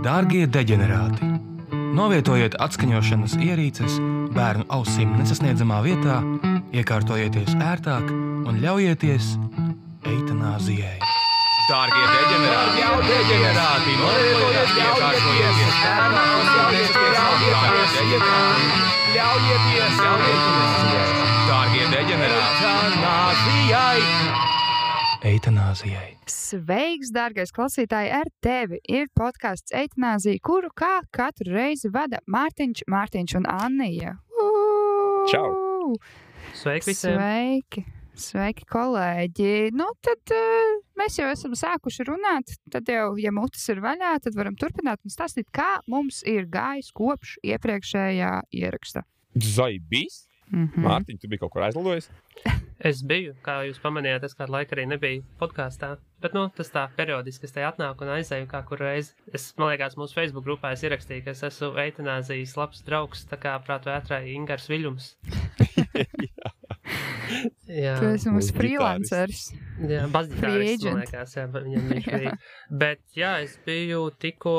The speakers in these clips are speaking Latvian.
Dārgie deģenerāti! Novietojiet atskaņošanas ierīces bērnu ausīm nesasniedzamā vietā, iekārtojieties ērtāk un ļaujieties eitanāzijai. Dārgie deģenerāti! Novietojiet iekārtojieties bērnu ļaujieties Dārgie deģenerāti! Eitanāzijai. Sveiks, dārgais klausītāji, ar tevi ir podcasts Eitanāzija, kuru kā katru reizi vada Mārtiņš un Annija. Čau! Sveiki visiem! Sveiki, kolēģi! Nu, tad mēs jau esam sākuši runāt, tad jau, ja mutes ir vaļā, tad varam turpināt un stāstīt, kā mums ir gājis kopš iepriekšējā ieraksta. Zaibīs? Mārtiņ, tu biji kaut kur aizlidojis? Es biju, kā jūs pamanījāt, es kādu laiku arī nebiju podkāstā, bet, tas tā periodiski es te atnāku un aizēju kā kur reizi. Man liekas, mūsu Facebook grupā es ierakstīju, ka es esmu eitanāzijas labs draugs, tā kā prātu vētrai Ingars Viļums. Jā. Tu esi mums freelancers. Jā, basģitārists, man liekas, viņam viņš bija. Bet, es biju tikko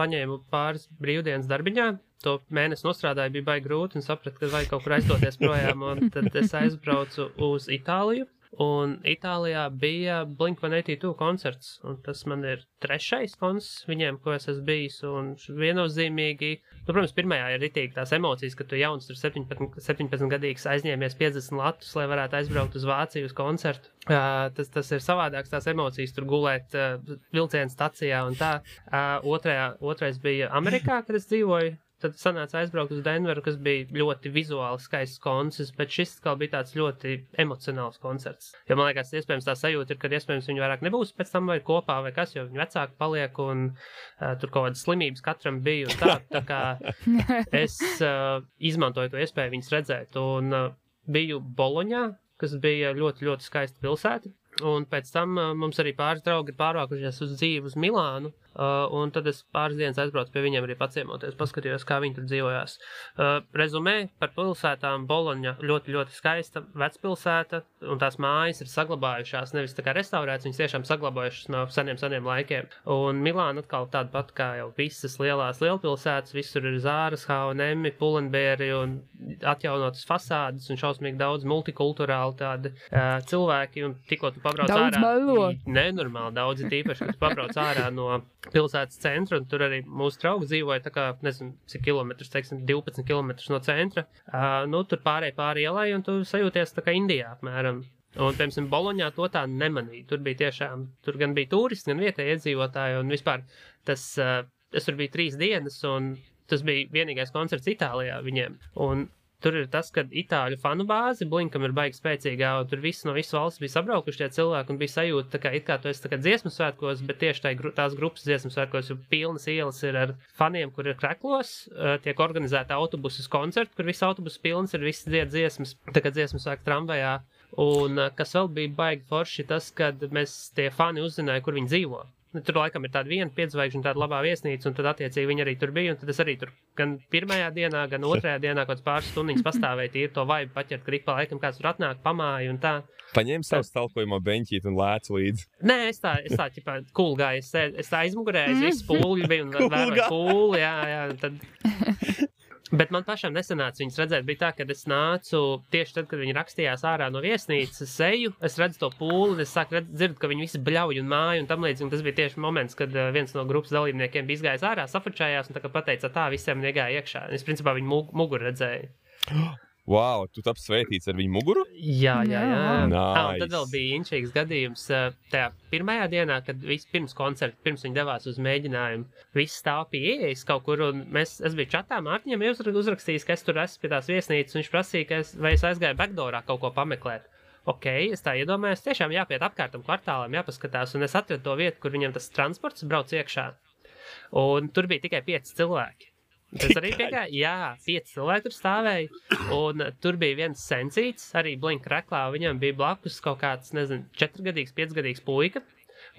paņēmu pāris brīvdienas darbiņā. To mēnesi nostrādāju, bija baigi grūti un sapratu, ka vajag kaut kur aizdoties projām, un tad es aizbraucu uz Itāliju, un Itālijā bija Blink-182 koncerts, un tas man ir 3. koncerts viņiem, ko es esmu bijis, un viennozīmīgi, protams, pirmajā ir ritīgi tās emocijas, ka tu jauns tur 17-gadīgs aizņēmies 50 latus, lai varētu aizbraukt uz Vāciju uz koncertu. Tas ir savādāks tās emocijas, tur gulēt vilciena stacijā un tā. Otrais bija Amerikā, kad es dzīvoju. Tad sanāca aizbraukt uz Denveru, kas bija ļoti vizuāli skaists koncerts, bet šis kā bija tāds ļoti emocionāls koncerts. Jo man liekas, iespējams tā sajūta ir, ka iespējams viņi vairāk nebūs pēc tam vai kopā vai kas, jo viņi vecāki paliek un tur kaut kādas slimības katram bija un tā. Tā kā es izmantoju to iespēju viņus redzēt un biju Boloņā, kas bija ļoti, ļoti skaista pilsēta. Un pēc tam mums arī pāris draugi ir pārvākušies uz dzīvi uz Milānu, un tad es pāris dienas aizbraucu pie viņiem arī paciemoties, paskatījos, kā viņi tur dzīvojās. Rezumē par pilsētām: Boloņa ļoti, ļoti skaista vecpilsēta, un tās mājas ir saglabājušās, nevis tā kā restaurētas, viņas tiešām saglabājušas no seniem laikiem. Un Milāna atkal tāda pat kā jau visas lielās lielpilsētas, visur ir Zāras, H&M, Pull&Bear un atjaunotas fasādes un šausmīgi daudz multikulturāli tādi cilvēki, un tikko tu pabrauc daudz ārā. Melo. Nenormāli daudz, tīpaši, kad tu pabrauc ārā no pilsētas centra, un tur arī mūsu draugi dzīvoja, tā kā, nezinu, cik kilometrus, teiksim, 12 kilometrus no centra. Tur pāri ielai, un tu sajūties tā kā Indijā, apmēram. Un, piemēram, Boloņā to tā nemanīja. Tur gan bija turisti, gan vietēji iedzīvotāji, un vispār es tur biju 3 dienas, un tas bija vienīgais koncerts Itālijā viņiem. Un tur ir tas, ka itāļu fanu bāzi Blinkam ir baigi spēcīgā, un tur visi no visas valsts bija sabraukuši tie cilvēki, un bija sajūta, tā kā it kā tu esi tā kā dziesmu svētkos, bet tieši tās grupas dziesmu svētkos, jo pilnas ielas ir ar faniem, kur ir kreklos, tiek organizēta autobusus koncerti, kur visi autobusi pilns ir, visi dzied dziesmas, tā kā dziesmu svēku tramvajā. Un kas vēl bija baigi forši, tas, kad mēs tie fani uzzināja, kur viņi dzīvo. Tur laikam ir tāda viena 5 zvaigžņu, tāda labā viesnīca, un tad attiecīgi viņi arī tur bija, un tad es arī tur gan pirmajā dienā, gan otrajā dienā kaut kāds pāris stundiņas pastāvēju, tīri to vaibu paķert, ka ik pa laikam kāds tur atnāk, pamāja un tā. Paņēmi savu stalkojamo beņķīt un lēcu līdzi. Nē, es tā ķipā cool gāju, es tā aizmugurēju, viss pūļi bija un vēroju pūli, jā, tad... Bet man pašam nesanāca viņus redzēt. Bija tā, ka es nācu tieši tad, kad viņi rakstījās ārā no viesnīcas, es eju, es redzu to pūli, es sāku dzirdu, ka viņi visi bļauj un māja un tam līdzīgi. Un tas bija tieši moments, kad viens no grupas dalībniekiem bija izgājis ārā, safačājās un tā kā pateica tā, visiem negāja iekšā. Es principā viņu muguru redzēju. Wow, tu taps svētīts ar viņu muguru? Jā. Nice. Un tad vēl bija inčīgs gadījums tajā pirmajā dienā, kad pirms koncerta, pirms viņi devās uz mēģinājumu, visi stāv pie ieejas kaut kur, un es biju čatā Mārtiņam uzrakstījis, ka es tur esmu pie tās viesnīcas, un viņš prasīja, vai es aizgāju backdoorā kaut ko pameklēt. Ok, es tā iedomājos, tiešām jāpiet apkārtam kvartālam, jāpaskatās, un es atradu to vietu, kur viņam tas transports brauc iekšā, un tur bija tikai 5 cilvēki. Tas arī piegāja, 5 cilvēki tur stāvēja, un tur bija viens sencīts, arī Blink reklā, viņam bija blakus kaut kāds, 4-gadīgs, 5-gadīgs puika,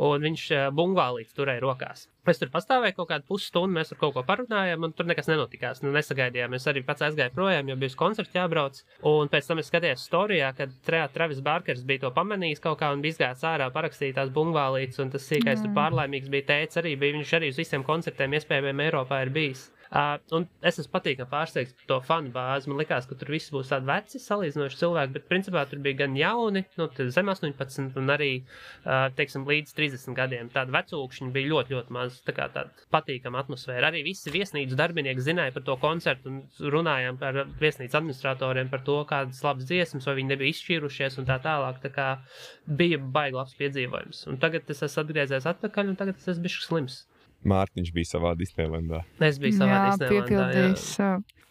un viņš bungvālīts turēja rokās. Es tur pastāvēju kaut kādu pusstundu, mēs ar kaut ko parunājām, un tur nekas nenotikās. Nesagaidījām, es arī pats aizgāju projām, jo bija uz koncertu jābrauc. Un pēc tam es skatījos storijā, kad Travis Barkers bija to pamanījis kaut kā un bija izgājis ārā parakstīt tās bungvālītes, un tas sīkais tur pārlaimīgs bija tēts arī, viņš arī uz visiem koncertiem iespējamiem Eiropā ir bijis. Un es esmu patīkami pārsteigts par to fanu bāzi. Man likās, ka tur viss būs tādi veci salīdzinoši cilvēki, bet principā tur bija gan jauni, zem 18 un arī, teiksim, līdz 30 gadiem. Tādi vecūkšņi bija ļoti, ļoti maz, tā kā tāda patīkama atmosfēra. Arī visi viesnīcu darbinieki zināja par to koncertu un runājām par viesnīcu administratoriem par to, kādas labas dziesmas, vai viņi nebija izšķīrušies un tā tālāk. Tā kā bija baigi labs piedzīvojums. Un tagad es esmu atgriezies atpakaļ un tagad es esmu bišķi slims. Mārtiņš bija savā Disneylandā. Es biju savā Disneylandā, piepildījis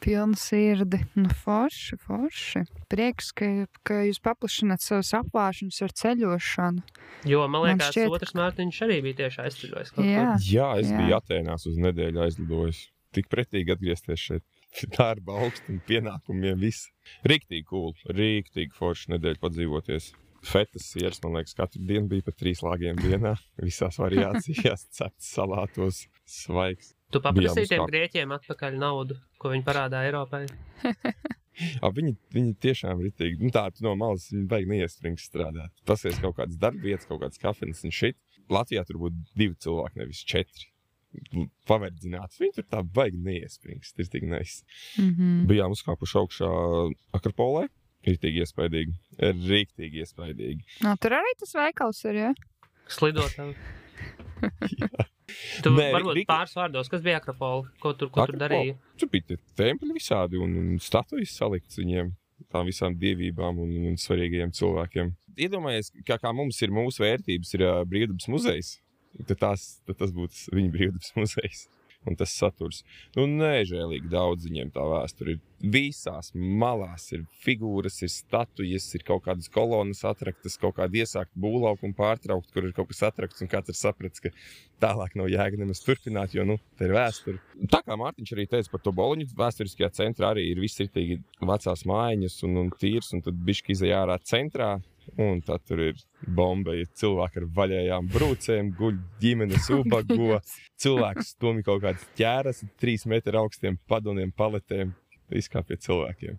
pilnu sirdi. Forši. Prieks, ka jūs paplašināt savus apvāršanas ar ceļošanu. Jo, man liekas, otrs Mārtiņš arī bija tieši aizceļojis kaut kur. Jā, es biju Atēnās uz nedēļu aizlidojis. Tik pretīgi atgriezties šeit. Darba augstumi, pienākumiem, viss. Riktīgi cool, riktīgi forši nedēļu padzīvoties. Fetas sieras, man liekas, katru dienu bija pa 3 lāgiem dienā. Visās variācijās, cepts salātos, svaigs. Tu paprasīji tiem grieķiem atpakaļ naudu, ko viņi parādā Eiropai? Viņi tiešām ritīgi. Tā, tu no malas, viņi baigi neiestrings strādāt. Pasies kaut kādas darbvietas, kaut kādas kafenes un šit. Latvijā tur būtu 2 cilvēki, nevis 4. Paverdzināts. Viņi tur tā baigi neiesprings. Tas ir tik nice. Bijām uzkāpuši augšā Akropolē. Riktīgi iespaidīgi. Riktīgi iespaidīgi. Tur arī tas veikals ir, ja? Slidotām. Tu varbūt pāris vārdos, kas bija Akropola? Ko tur darīja? Tur bija templi visādi un statujas salikts viņiem. Tām visām dievībām un svarīgajiem cilvēkiem. Iedomājies, kā mums ir mūsu vērtības, ir brīvdabas muzejs. Tad tas būtu viņa brīvdabas muzejs. Un tas saturs. Nežēlīgi daudz viņiem tā vēsture ir. Visās malās ir figūras, ir statujas, ir kaut kādas kolonas atraktas, kaut kāda iesākta būvlauka un pārtraukt, kur ir kaut kas atrakts un katrs saprats, ka tālāk nav jēga nemaz turpināt, jo, tā ir vēsture. Tā kā Mārtiņš arī teica par to Boloņu, vēsturiskajā centrā arī ir viss ritīgi vecās mājiņas un tīrs, un tad bišķi izej ārā centrā. Un tad tur ir bomba, ir cilvēki ar vaļējām brūcēm, guļ ģimenes ubago, cilvēks stumj kaut kādas ķēras, 3 metru augstiem padoniem, paletēm, viss kā pie cilvēkiem.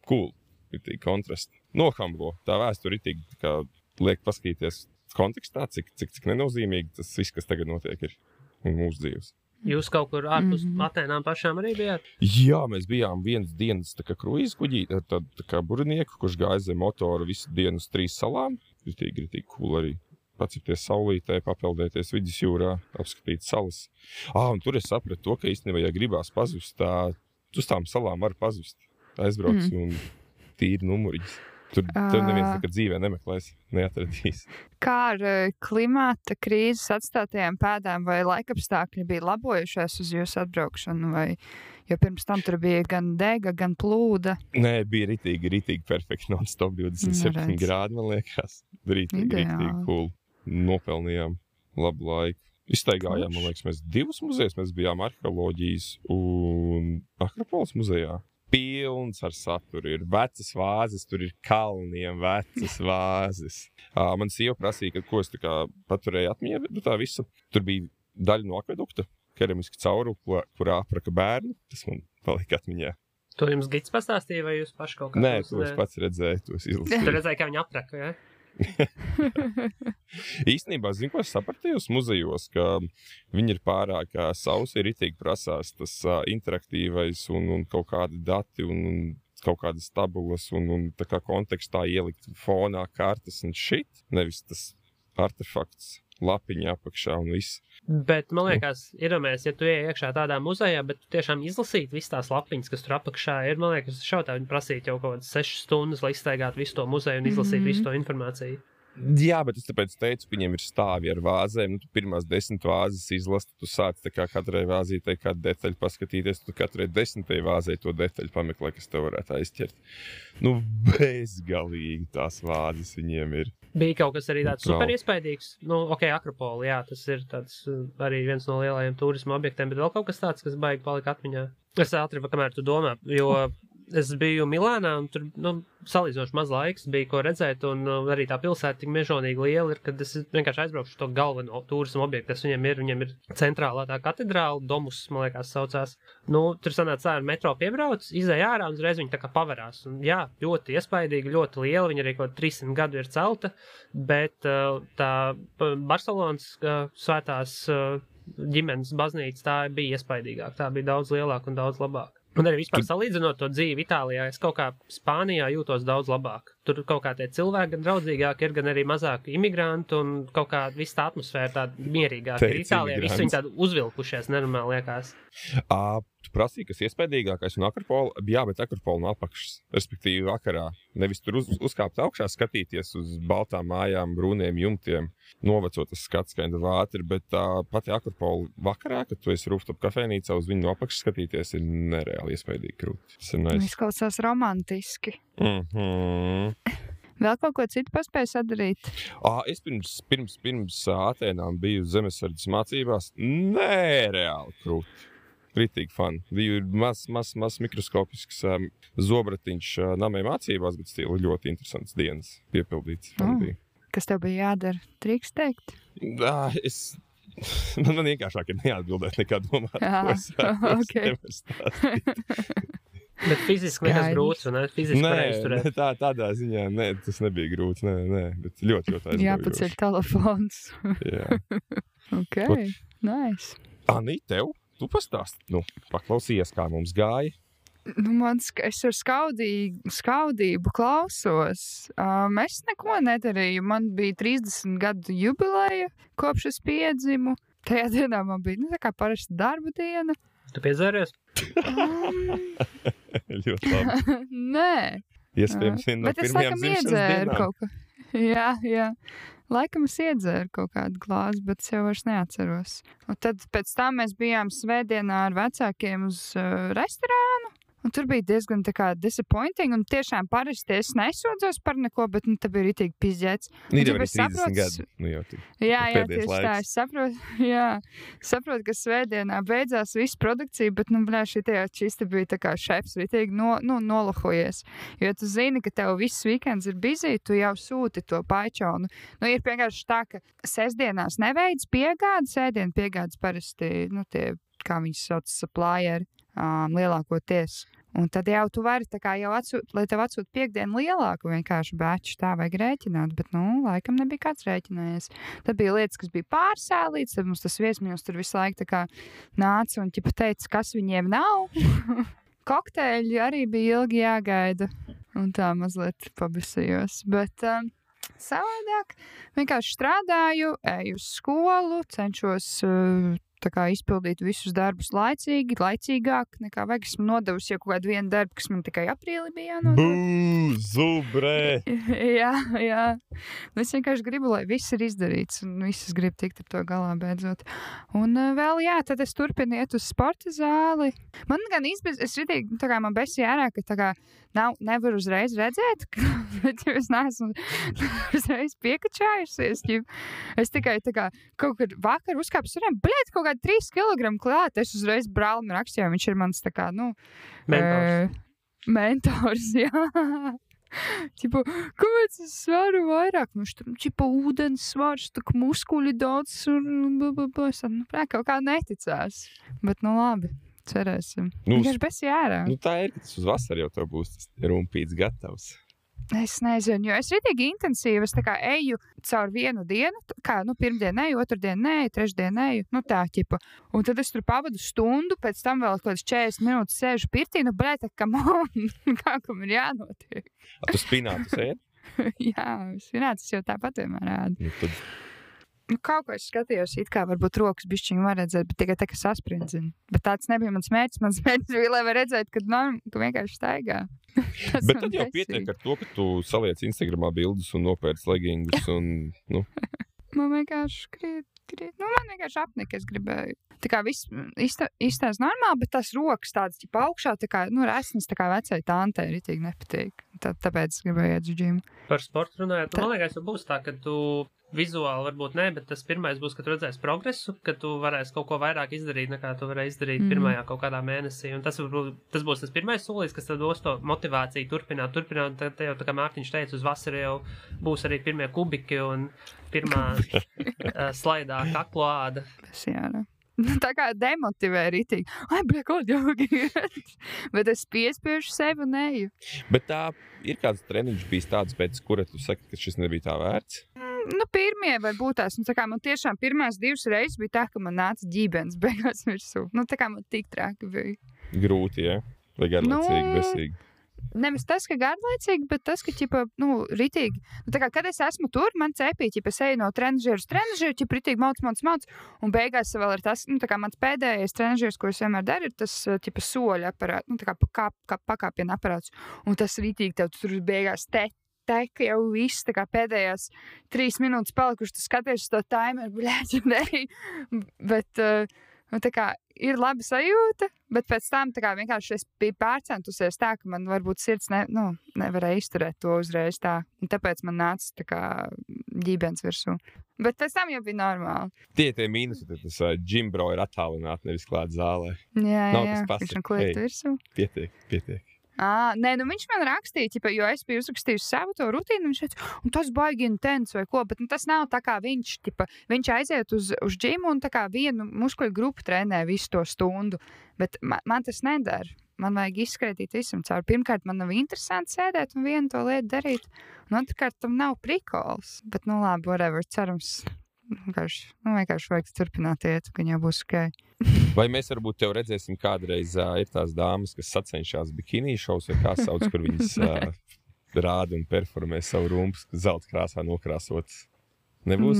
Cool, ir tīgi kontrasti. Nohamblo, tā vēsture ir tīgi, kā liek paskatīties kontekstā, cik nenozīmīgi tas viss, kas tagad notiek ir mūsu dzīves. Jūs kaut kur ārpus Atēnām pašām arī bijāt? Jā, mēs bijām vienas dienas tā kā kruīzes kuģī, tā kā burnieku, kurš gāja zem motoru visu dienu uz 3 salām. Ritīgi cool arī. Pacipties saulītē, papeldēties vidusjūrā, apskatīt salas. Un tur es sapratu to, ka īstenībā, ja gribās pazust, uz tām salām var pazust. Aizbrauc un tīri numuriņas. Tur neviens nekad dzīvē nemeklēs, neatradīs. Kā ar klimata krīzes atstātajām pēdām vai laikapstākļi bija labojušies uz jūsu atbraukšanu? Jo pirms tam tur bija gan dega, gan plūda. Nē, bija ritīgi perfekti non-stop 27 grādi, man liekas. Ritīgi cool. Nopelnījām labu laiku. Iztaigājām, man liekas, mēs 2 muzejus. Mēs bijām arheoloģijas un Akropoles muzejā. Pilns ar saturu, ir vecas vāzes, tur ir kalniem vecas vāzes. Man sieva prasīja, ka ko es tā kā paturēju atmiņā, bet tā visa, tur bija daļa no akvedukta, keramiski cauru, kurā apraka bērnu, tas man palika atmiņā. To jums gids pastāstīja, vai jūs paši kaut kā? Nē, to es pats redzēju, to es izlasīju. Tu redzēji, kā viņi apraka, ja? Īstenībā, zinu, ko es sapratīju muzejos, ka viņi ir pārāk sausi, ritīgi prasās tas interaktīvais un kaut kādi dati un kaut kādas tabulas un tā kā kontekstā ielikt fonā kartas un šit, nevis tas artefakts lapiņā apakšā un viss. Bet, man liekas, iedomājies, ja tu ej iekšā tādā muzejā, bet tu tiešām izlasīt visas tās lapiņas, kas tur apakšā ir, man liekas, šautā viņi prasīt jau kaut kādas 6 stundas, lai izstaigātu visu to muzeju un izlasīt visu to informāciju. Jā, bet es tāpēc teicu, ka viņiem ir stāvi ar vāzēm. Tu pirmās 10 vāzes izlasi, tu sāc tā kā katrai vāzītei kādu detaļu paskatīties, tu katrai 10. vāzei to detaļu pameklē, kas tev varētu aizķert. Bezgalīgi tās vāzes viņiem ir. Bija kaut kas arī tāds super iespaidīgs. Akropola, jā, tas ir tāds arī viens no lielajiem turisma objektiem, bet vēl kaut kas tāds, kas baigi palika atmiņā. Es ātri, kamēr tu domā, jo es biju Milānā, un tur, salīdzinoši maz laiks bija, ko redzēt, un arī tā pilsēta tik mežonīgi liela ir, kad es vienkārši aizbraukšu to galveno turismu objektu, kas viņiem ir centrālā tā katedrāla, Domus, man liekas, saucās. Tur sanāca ar metro piebrauc, izēja ārā, un uzreiz viņi tā kā pavarās. Un, jā, ļoti iespaidīgi, ļoti liela, viņa arī kaut 300 gadu ir celta, bet tā Barcelonas svētās ģimenes baznīca, tā bija iespaidīgāk, tā bija daudz lielāka un daudz labāka. Un arī vispār salīdzinot to dzīvi Itālijā, es kaut kā Spānijā jūtos daudz labāk. Tur kaut kā tie cilvēki gan draudzīgāki ir, gan arī mazāk imigrantu, un kaut kā viss tā atmosfēra tāda mierīgāka. Itālijā visi viņi tādi uzvilkušies, nenormāli liekas. Tu prasīji, kas iespaidīgākais un Akropola? Jā, bet Akropola no apakšas, respektīvi vakarā. Nevis tur uzkāpt augšā, skatīties uz baltām mājām, brūniem jumtiem, novecot tas skats kainda vātri, bet pati Akropola vakarā, kad tu esi rooftop kafejnīcā uz viņu no apakšas skatīties, ir nereāli iespaidīgi krūti. Izklausās romantiski. Vēl kaut ko citu paspēju sadarīt? Es pirms Atēnām biju zemesardzes mācībās. Nereāli krūti. Ritīgi fani. Bija maz mikroskopisks zobratiņš namai mācībās, bet stila ļoti interesants dienas piepildīts. Kas tev bija jādara? Drīkst teikt? Man vienkāršāk ir neatbildēt nekā domāt, ko es nevaru stāstīt. Bet fiziski nekas grūts, un fiziski pareizi turēt. Tādā ziņā, tas nebija grūts, bet ļoti aizgaujoši. Jāpaceļ telefons. Jā. Ok, nice. Anī, tev? Tu pastāsti, paklausījies, kā mums gāja. Es ar skaudību klausos. Es neko nedarīju. Man bija 30 gadu jubileja, kopš es piedzimu. Tajā dienā man bija, tā kā parasta darba diena. Tu piedzēries? Ļoti labi. Nē. Iespējams, viena no pirmajām dzimšanas dienām. Kaut ko. Jā. Laikam es iedzēru kaut kādu glāzi, bet es jau vairs neatceros. Un tad pēc tam mēs bijām svētdienā ar vecākiem uz restorānu. Un tur bija diezgan tā kā disappointing, un tiešām parasti es nesūdzos par neko, bet te bija ritīgi pizdzēts. Ir jau 30 gadu. Jā, tieši tā, es saprotu, ka svētdienā beidzās viss produkcija, bet, šis te bija tā kā šefs ritīgi nolahojies. Jo tu zini, ka tev viss weekends ir busy, tu jau sūti to paičonu. Ir vienkārši tā, ka sestdienās neveids piegādi, sēdienu piegādes parasti, tie, kā viņus sauc, supplieri, lielākoties. Un tad jau tu vari tā kā jau lai tev atsūt piekdienu lielāku vienkārši bēču, tā vajag rēķināt, bet, laikam nebija kāds rēķinājies. Tad bija lietas, kas bija pārsēlīts, tad mums tas viesmīļs tur visu laiku tā kā nāca un ķipa teica, kas viņiem nav. Kokteļi arī bija ilgi jāgaida, un tā mazliet pabisījos, bet savādāk vienkārši strādāju, eju uz skolu, cenšos tā kā izpildīt visus darbus laicīgāk nekā vajag. Esmu nodevusi jau kaut kādu vienu darbu, kas man tikai aprīlī bija jānodeva. Zubrē! Jā. Es vienkārši gribu, lai viss ir izdarīts, un visas grib tikt ar to galā beidzot. Un vēl, tad es turpinu iet uz sporta zāli. Man gan es ritīgi, tā kā man besī ārā, ka tā kā nevar uzreiz redzēt, bet es neesmu uzreiz piekačājusies. Es tikai tā kā kaut kad vakar uzkāpis, kaut kādi 3 kilogramu klāt, es uzreiz brālim rakstīju, viņš ir mans tā kā, mentors, jā. Kāpēc es svaru vairāk? Ūdens svars, muskuļi daudz, kaut kā neticās. Bet, labi, cerēsim. Vienkārši besi ārā. Tā ir, ka tas uz vasaru jau tev būs tas rumpīts gatavs. Es nezinu, jo es ritīgi intensīvi, es tā kā eju caur vienu dienu, kā, pirmdien eju, otrdien neeju, trešdien eju, tā ķipa. Un tad es tur pavadu stundu, pēc tam vēl kaut kāds 40 minūtes sēžu pirtī, kā kam ir jānotiek. Tu spinātus ēd? Jā, spinātus jau tāpat vienmēr ēd. Kaut ko es skatījos, it kā varbūt rokas bišķiņi var redzēt, bet tikai tā, ka sasprindzina. Bet tāds nebija mans mērķis. Mans mērķis bija, lai var redzēt, ka vienkārši staigā. Bet tad jau pietiek ar to, ka tu saliec Instagramā bildes un nopērc legingus un, Man vienkārši man vienkārši apnika, es gribēju. Tā kā viss izstās normāli, bet tās rokas tādas, augšā, tā kā, resnas, tā kā vecai tantei ritīgi nepatīk. Tāpēc es gribēju iet uz džimu. Par sportu runājot, man liekas, jau būs tā, ka tu vizuāli varbūt ne, bet tas pirmais būs, ka tu redzēsi progresu, ka tu varēsi kaut ko vairāk izdarīt, nekā tu varēji izdarīt pirmajā kaut kādā mēnesī. Un tas būs tas pirmais solis, kas tad dos to motivāciju turpināt. Tad jau, tā kā Mārtiņš teica, uz vasaru jau būs arī pirmie kubiki un pirmā slaidā kaklo āda. Tā kā demotivē ritīgi. Ai, kaut jogi. Bet es piespiežu sevi un eju. Bet tā ir kāds treniņš bijis tāds, pēc kura tu saki, ka šis nebija tā vērts? Pirmie vai būtās. Tā kā man tiešām pirmās 2 reizes bija tā, ka man nāca ģībens beigās virsū. Tā kā man tik traki bija. Grūti, ja? Vai garlaicīgi, besīgi? Nevis tas, ka garlaicīgi, bet tas, ka, ritīgi. Tā kā, kad es esmu tur, man cepīja, es eju no trenažieru uz trenažieru, ritīgi mauc, un beigās vēl ir tas, tā kā mans pēdējais trenažieris, ko es vienmēr daru, ir tas, soļa aparāts, tā kā pakāpiena aparāts, un tas ritīgi tev tur beigās teka jau viss, tā kā pēdējās 3 minūtes palikuši, tu skaties uz to timeru, bļēķi, bet, tā kā ir laba sajūta, bet pēc tam tā kā vienkārši es biju pārcentusies tā, ka man varbūt sirds nevarēja izturēt to uzreiz tā, un tāpēc man nāca tā kā ģībens virsū. Bet pēc tam jau bija normāli. Tie mīnusi, tad tas džimbro ir attālināti, nevis klāt zālē. Jā, viņš man kliet virsū. Pietiek. Nē, viņš man rakstīja, jo es biju uzrakstījusi savu to rutīnu, viņš teica, un tas baigi intens vai ko, bet tas nav tā kā viņš aiziet uz džimu un tā kā vienu muskuļu grupu trenē visu to stundu, bet man tas nedara. Man vajag izskaitīt visam cauri. Pirmkārt, man nav interesanti sēdēt un vienu to lietu darīt, un otrkārt, tam nav prikols, bet labi, whatever, cerams. Vienkārši vajag turpināt iet, ka jau būs ok. Vai mēs varbūt tev redzēsim kādreiz ir tās dāmas, kas sacenšās bikini šovs vai kā sauc, kur viņas rāda un performē savu rumpas zelta krāsā nokrāsotas? Nebūs?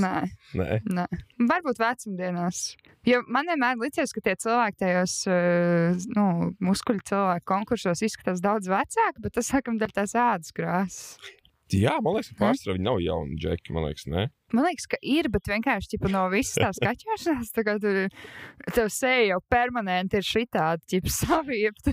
Nē. Varbūt vecumdienās. Jo man vienmēr licies, ka tie cilvēki tajos muskuļu cilvēku konkursos izskatās daudz vecāki, bet tas sākam dēļ tās ādas krāsas. Jā, man liekas, ka pārsvarā viņi nav jauni džeki, man liekas, ne? Man liekas, ka ir, bet vienkārši no visas tās kaķošanās, tā kā tev seja jau permanenti ir šitādi, saviepta.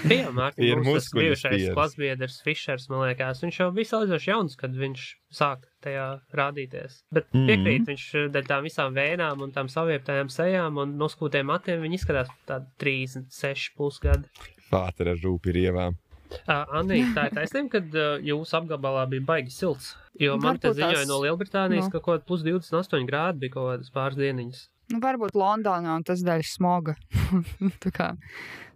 Bija Mārtiņš, tas bijušais klasbiedrs Fišers, man liekas, viņš jau bija salīdzoši jauns, kad viņš sāk tajā rādīties. Bet piekrīt, viņš dēļ tām visām vēnām un tām savieptajām sejām un noskūtiem matiem, viņi izskatās tādi 36 plus gadi. Fātera rūpi ir ievām. Anī, tā ir taisnība, kad jūsu apgabalā bija baigi silts, jo man te ziņoja no Lielbritānijas, ka kaut plus 28 grādi bija kaut kādas pāris dieniņas. Varbūt Londonā un tas dēļ smoga. Tā kā,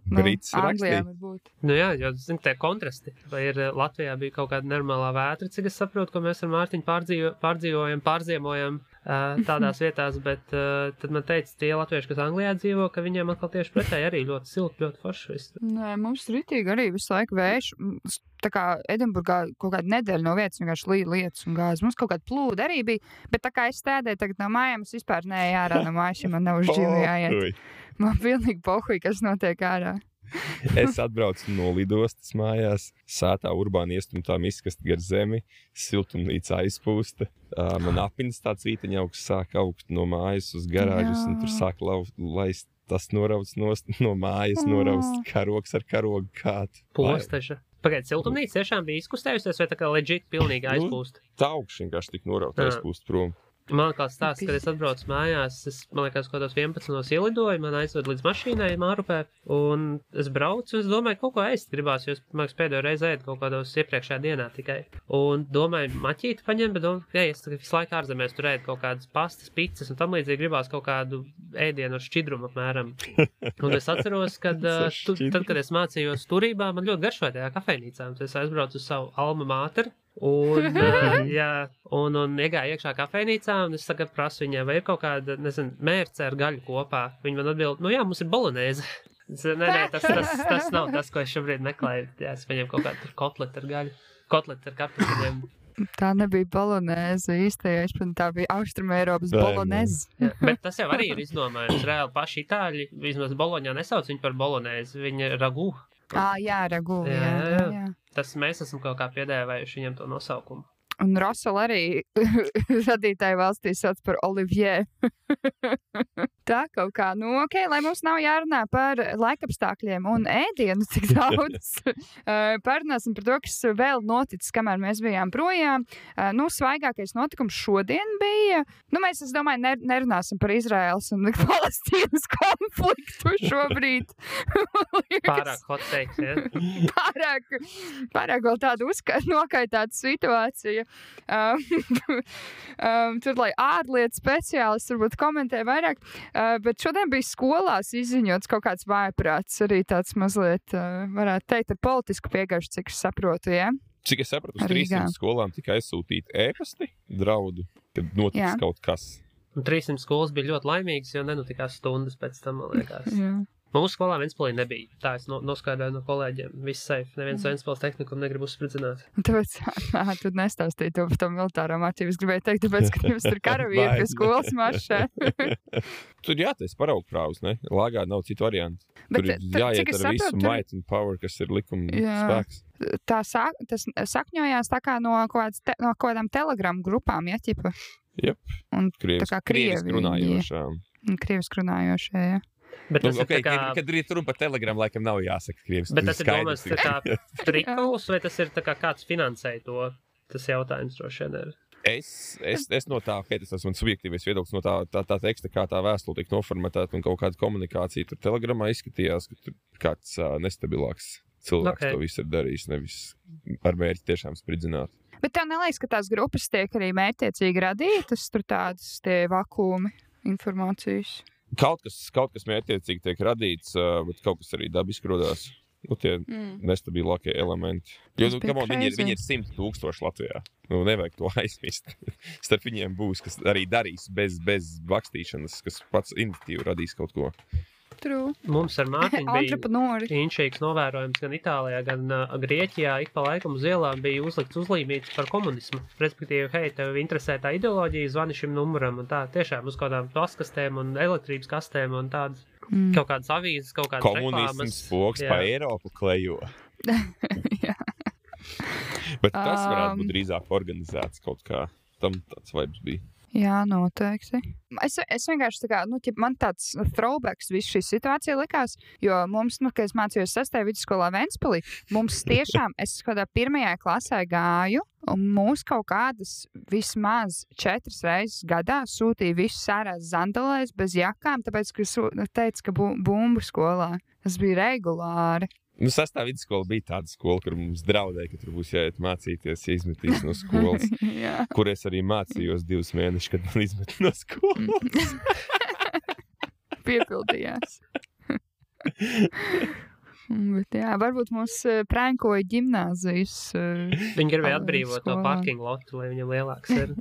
Brits Anglijā rakstīja. varbūt. Jā, jo, tie kontrasti. Vai ir Latvijā bija kaut kāda normālā vētra, cik es saprotu, ko mēs ar Mārtiņu pārziemojam tādās vietās, bet tad man teica tie latvieši, kas Anglijā dzīvo, ka viņiem atkal tieši pretēji arī ļoti silti, ļoti forši viss. Nē, mums ritīgi arī visu laiku vējš. Tā kā Edinburgā kaut kāda nedēļa no vietas vienkārši līja lietas un gāzi. Mums kaut kāda plūda arī bija, bet tā kā es stādēju tagad no mājām, es vispār neeju ārā no mājas, ja man nav uz džimu jāiet. Man pilnīgi pohuj, kas notiek ārā. Es atbraucu no lidostas mājās, sētā urbāni iestumtā miskast gar zemi, siltumnīca aizpūsta. Man apinis tāds vīteņauks sāk augt no mājas uz garāžas, un tur sāk laist tas norauts no mājas, norauts karogs ar karogu kātu. Posteša. Pagaid, siltumnīca tiešām bija izkustējusies, vai tā kā legit pilnīgi aizpūst? Tā augš vienkārši tik norauts aizpūst prom. Man kāds stāsts, kad es atbraucu mājās, man liekas, kaut kādos 11 ielidoju, man aizved līdz mašīnai Mārupē, un es braucu, un es domāju, kaut ko ēst gribās, jo es, man liekas, pēdējo reizi ēdu kaut kādos iepriekšējā dienā tikai. Un domāju, maķīti paņem, bet es tagad visu laiku ārzemēs tur ēdu kaut kādas pastas, pizzas, un tam līdzīgi gribās kaut kādu ēdienu ar šķidrumu apmēram. Un es atceros, kad tad, kad es mācījos turībā, man ļoti garšoja tajā kafejnīcā, un es aizbraucu uz savu alma mater. Un iegāju iekšā kafejnīcā, un es tagad prasu viņai, vai ir kaut kāda, mērce ar gaļu kopā. Viņa man atbild, jā, mums ir bolonēze. Nē, tas nav tas, ko es šobrīd meklēju. Jā, es viņiem kaut kādu kotleti ar gaļu, kotleti ar kartupeļiem. Tā nebija bolonēze īstajā, tā bija Austrumēropas bolonēze. Bet tas jau arī ir izdomājums. Reāli paši itāļi, vismaz Boloņā nesauc viņu par bolonēzi, viņa ragu. Jā, ragu, jā. Tas mēs esam kaut kā piedēvējuši viņam to nosaukumu. Un Rosal arī radītāju valstī sauc par Olivier. Tā kaut kā, lai mums nav jārunā par laikapstākļiem un ēdienu tik daudz. Parunāsim par to, kas vēl noticis, kamēr mēs bijām projām. Svaigākais notikums šodien bija. Mēs, es domāju, nerunāsim par Izraēlas un Palestīnas konfliktu šobrīd. Pārāk hot takes, ja? Pārāk vēl tāda nokaitāta situācija. Tur, lai ārlietu speciālists varbūt komentē vairāk. Bet šodien bija skolās izziņots kaut kāds vājprāts, arī tāds mazliet, varētu teikt, ar politisku piegājuši, cik es saprotu, ja? Cik es sapratu, uz 300 skolām tika aizsūtīti ēpasti, draudu, kad notiks kaut kas. Un 300 skolas bija ļoti laimīgas, jo nenotikās stundas pēc tam, man liekas. Jā. Mūsu skolā Ventspilī nebija. Tā es noskaidroju no kolēģiem. Viss safe. Neviens Ventspils tehniku negrib uzspridzināt. Tāpēc, tu nestāstīji to par to militāro mācību. Es gribēju teikt, tāpēc, ka jums tur karavīri pie skolas maršē. Tur jātais paraugprāvs, ne? Lāgā nav citu variantu. Tur jāiet ar visu might and power, kas ir likuma spēks. Tas sakņojās tā kā no kādām telegramu grupām, ja, ķipa? Jep. Un krieviski runājošām. Krieviski runājošie, ja. Bet kad ir runa par telegramu, laikam nav jāsaka krieviski. Bet tas ir domās tā kā trikols, vai tas ir tā kā kāds finansēja to? Tas jautājums droši vien ir. Es no tā, tas ir mans subjektīvais viedoklis, no tā teksta, kā tā vēstule tika noformatēta un kaut kāda komunikācija tur telegramā izskatījās, ka tur kāds nestabilāks cilvēks to visu ir darījis, nevis ar mērķi tiešām spridzināt. Bet tev neliekas, ka tās grupas tiek arī mērķiecīgi radītas, tur tādas tie vakumi informācijas? Kaut kas mērķiecīgi tiek radīts, bet kaut kas arī dabiski rodās. Tie nestabilākie elementi. Jo, viņi ir 100 000 Latvijā. Nevajag to aizmist. Starp viņiem būs, kas arī darīs bez bakstīšanas, kas pats iniciatīvu radīs kaut ko. True. Mums ar Mārtiņu bija inšīgs novērojums gan Itālijā, gan Grieķijā. Ik pa laikam uz ielām bija uzlikts uzlīmīts par komunismu. Respektīvi, hei, tev interesē tā ideoloģija, zvani šim numuram un tā. Tiešām uz kādām paskastēm un elektrības kastēm un tādas kaut kādas avīzes, kaut kādas reklāmas. Komunisms poks pa Eiropu klejo. Jā. Bet tas varētu būt drīzāk organizēts kaut kā. Tam tāds vibes bija. Jā, noteikti. Es vienkārši tā kā, man tāds throwbacks visu šī situācija likās, jo mums, kad es mācījos 6. vidusskolā Ventspilī, mums tiešām, es kādā 1. klasē gāju, un mūs kaut kādas vismaz 4 reizes gadā sūtīja visus ārās zandalēs bez jakām, tāpēc, ka teica, ka bumbu skolā. Tas bija regulāri. 6. vidusskola bija tāda skola, kur mums draudēja, ka tur būs jāiet mācīties, ja izmetīs no skolas, kur es arī mācījos 2 mēnešus, kad man izmet no skolas. Piepildījās. Bet jā, varbūt mums prankoja ģimnāzijas Viņi gribēja atbrīvot no parking lotu, lai viņam lielāks ir.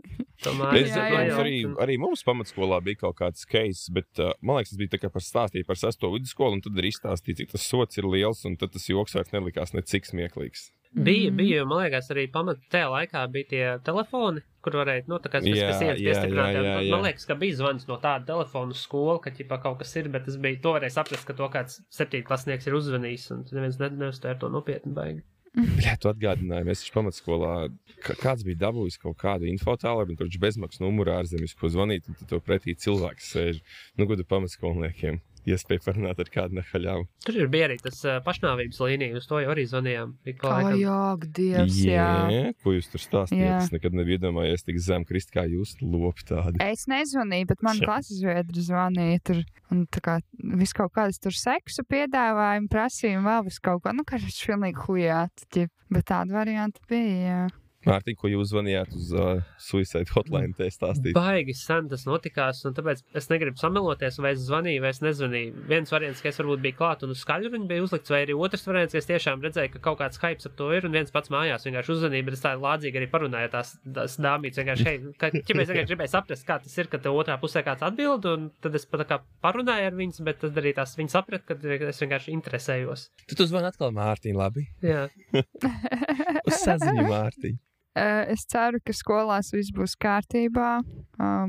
Arī mums pamatskolā bija kaut kāds case, bet man liekas, tas bija tā kā stāstīja par 6. vidusskolu, un tad arī izstāstīja, cik tas sots ir liels, un tad tas joks vairs nelikās necik smieklīgs. Bija, jo man liekas, arī tajā laikā bija tie telefoni, kur varēja, tā kā sienas piestiprināt. Man liekas, ka bija zvans no tāda telefonu skolu, ka ķipā kaut kas ir, bet tas bija, to varēja saprast, ka to kāds 7. klasnieks ir uzvanījis, un neviens neuztvēr to nopietni baigi. Jā, tu atgādināji, mēs taču pamatskolā, kāds bija dabūjis kaut kādu infotālu, un tur bezmaksas numuru ārzemjas, ko zvanīt, un tad to pretī cilvēks sēž. Godu pamatskolniekiem. Iespēja parunāt ar kādu nehaļāvu. Tur bija arī tas pašnāvības līnija, uz to jau arī zvanījām. Dievs, jā. Ko jūs tur stāstījāt? Es nekad nebiju iedomājies tik zem krist, kā jūs lopi tādi. Es nezvanīju, bet man klases biedri zvanīja tur, un tā kā viss kaut kādas tur seksu piedāvājumi, prasījumi, vēl viss kaut ko, kā tas pilnīgi hujāti, bet tāda varianta bija, jā. Mārtiņ, ko jūs zvanījāt uz Suicide Hotline, te stāstīt? Baigi sen tas notikās, un tāpēc es negribu sameloties, vai es zvanīju, vai es nezvanīju. Viens variants, ka es varbūt biju klāt un uz skaļruņu bija uzlikts, vai arī otrs variants, ka es tiešām redzēju, ka kaut kāds hypes ap to ir, un viens pats mājās vienkārši uzzvanīja, bet es tā lādzīgi arī parunāju tās dāmītes, vienkārši, hei, ķipa es vienkārši gribēju saprast, kā tas ir, ka tev otrā pusē kāds atbild, un tad es pat tā kā parunāju ar viņas, bet tad arī tās viņi saprat, ka es vienkārši interesējos. Tu zvani atkal Mārtiņ, labi? Jā. Uz saziņu, Mārtiņ. Es ceru, ka skolās viss būs kārtībā,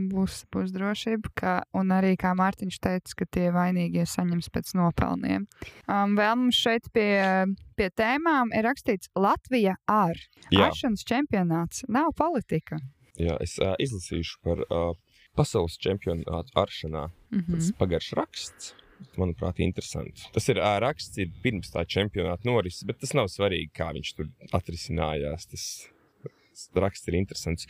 būs drošība, un arī, kā Mārtiņš teica, ka tie vainīgie saņems pēc nopelniem. Vēl mums šeit pie tēmām ir rakstīts Latvija āršanas čempionāts, nav politika. Jā, es izlasīšu par Pasaules čempionātu aršanā. Tas pagarš raksts. Manuprāt, interesanti. Tas ir raksts ir pirms tā čempionāta norises, bet tas nav svarīgi, kā viņš tur atrisinājās. Tas raksts ir interesants.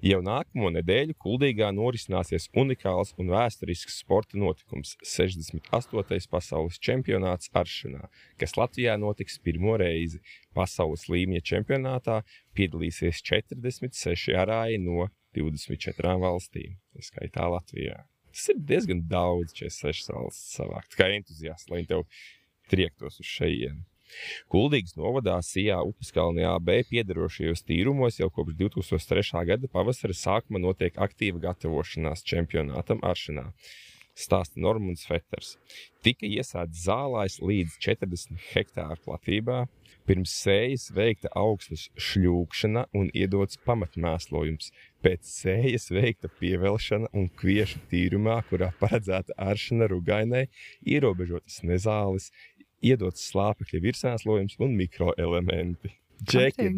Jau nākamo nedēļu Kuldīgā norisināsies unikāls un vēsturisks sporta notikums – 68. pasaules čempionāts aršanā, kas Latvijā notiks pirmo reizi. Pasaules līmeņa čempionātā piedalīsies 46 arāji no 24 valstīm, skaitā Latvijā. Tas ir diezgan daudz 46 valsts savākt, kā entuziasti, lai viņi tev triektos uz šejienu. Kuldīgas novadā Sijā Upeskalnē AB piederošajos tīrumos jau kopš 2003. Gada pavasara sākuma notiek aktīva gatavošanās čempionātam aršanā. Stāsta Normunds Feters. Tika iesēts zālājs līdz 40 hektāru platībā, pirms sējas veikta augsnes šļūkšana un iedots pamatmēslojums. Pēc sējas veikta pievelšana un kviešu tīrumā, kurā paredzēta aršana rugainai, ierobežotas nezāles, iedots slāpekļa virsmēslojums un mikroelementi. Džeki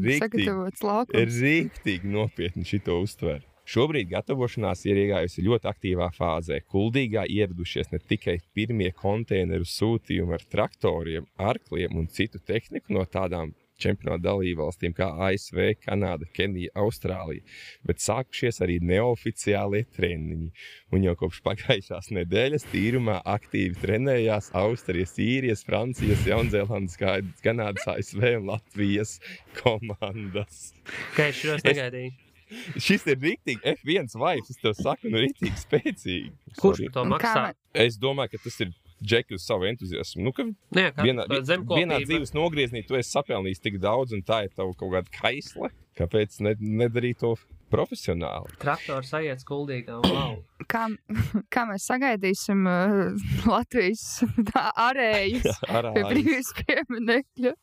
rīktīgi nopietni šito uztver. Šobrīd gatavošanās ir iegājusi ļoti aktīvā fāzē. Kuldīgā ieradušies ne tikai pirmie konteineru sūtījumi ar traktoriem, arkliem un citu tehniku no tādām čempionāta dalībvalstīm kā ASV, Kanāda, Kenija, Austrālija, bet sākušies arī neoficiālie treniņi. Un jau kopš pagājušās nedēļas tīrumā aktīvi trenējās Austrijas, Īrijas, Francijas, Jaunzēlandes, Kanādas, ASV un Latvijas komandas. Kā es šos negaidīju? Šis ir riktīgi F1 vibes, es tev saku, nu riktīgi spēcīgi. Kurš to maksā? Es domāju, ka tas ir Džeki uz savu entuziasmu. Nu, ka vienā dzīves nogrieznī tu esi sapelnījis tik daudz un tā ir tavu kaut kāda kaisla. Kāpēc nedarīt to profesionāli? Traktors aiet Kuldīgā, wow. Kā mēs sagaidīsim Latvijas arējus pie brīvības pieminekļa?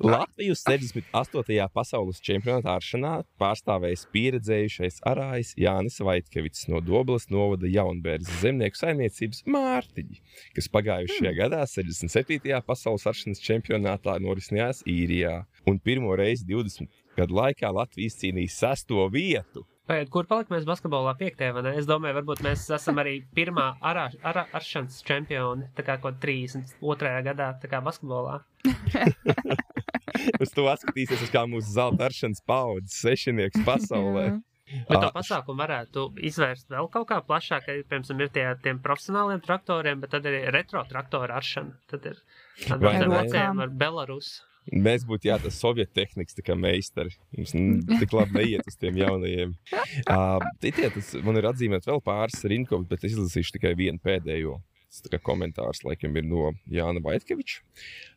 Latviju 68. pasaules čempionāta aršanā pārstāvējis pieredzējušais arājs Jānis Vaitkevits no Dobeles novada Jaunbērzes zemnieku saimniecības Mārtiņi, kas pagājušajā gadā 67. pasaules aršanas čempionātā norisinājās Īrijā. Un pirmo reizi 20 gadu laikā Latvija izcīnīja 6. vietu. Kur palikamies basketbolā 5. vai ne? Es domāju, varbūt mēs esam arī pirmā aršanas čempioni, tā kā kaut 32. gadā, tā kā basketbolā. Uz to atskatīsies, kā mūsu zelta aršanas paudzes sešinieks pasaulē. Bet to pasākumu varētu izvērst vēl kaut kā plašāk, ka, piemēram, ir tiem profesionāliem traktoriem, bet tad ir retro traktoru aršana. Tad ir veciem ar Belarus. Mēs būtu tas sovietu tehnikas tā kā meistari. Mums tik labi neiet uz tiem jaunajiem. Man ir atzīmēt vēl pāris rinkovus, bet es izlasīšu tikai vienu pēdējo. Tas tā kā komentārs laikam ir no Jāna Vaitkeviča.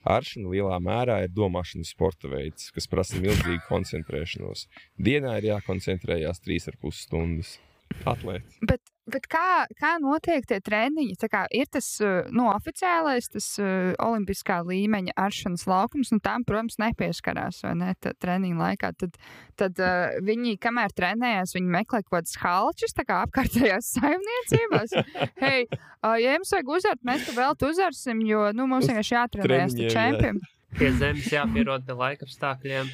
Aršana lielā mērā ir domāšanas sporta veids, kas prasa milzīgu koncentrēšanos. Dienā ir jākoncentrējās 3,5 stundas. Atlēti. Bet kā notiek tie treniņi? Tā kā ir tas oficiālais, tas olimpiskā līmeņa aršanas laukums, un tam, protams, nepieskarās, vai ne, treniņu laikā. Tad viņi, kamēr trenējās, viņi meklē kaut kādas halčas, tā kā apkārtējās saimniecībās. Hei, ja jums vajag uzart, mēs tu vēl uzarsim, jo, mums vienkārši jātrenējas te čempiem. Pie zemes jāpierod pie laikapstākļiem.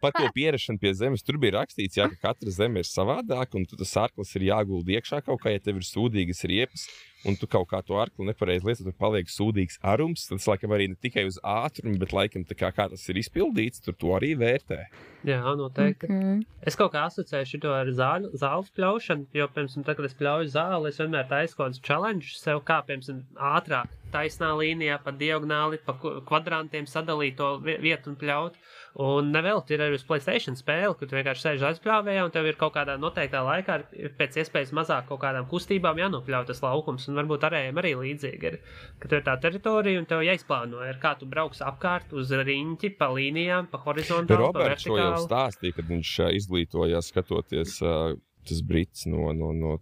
Par to pierašanu pie zemes tur bija rakstīts, ka katra zeme ir savādāka, un tas arklis ir jāgulda iekšā kaut kā, ja tev ir sūdīgas riepas, un tu kaut kā to arkli nepareizi lietot, tur paliek sūdīgs arums, tad tas laikam arī ne tikai uz ātrumu, bet laikam tā kā tas ir izpildīts, tur to arī vērtē. Jā, noteikti. Okay. Es kaut kā asociēju šito ar zāles pļaušanu, jo, piemēram, tad, kad es pļauju zāli, es vienmēr taisu kaut kādus challenge sev, kā, piemēram, ātrāk, taisnā līnijā, pa diagonāli, pa kvadrantiem sadalīt to vietu un pļaut. Un nevēl, ir arī uz PlayStation spēle, kur tu vienkārši sēž aizpļāvējā, un tev ir kaut kādā noteiktā laikā pēc iespējas mazāk kaut kādām kustībām jānopļauj tas laukums, un varbūt arējiem arī līdzīgi ir, ka tev ir tā teritorija, un tev jāizplāno, kā tu brauks apkārt uz riņķi, pa līnijām, pa horizontāli, pa vertikāli. Roberts šo jau stāstīja, kad viņš izglītojās skatoties tas brits no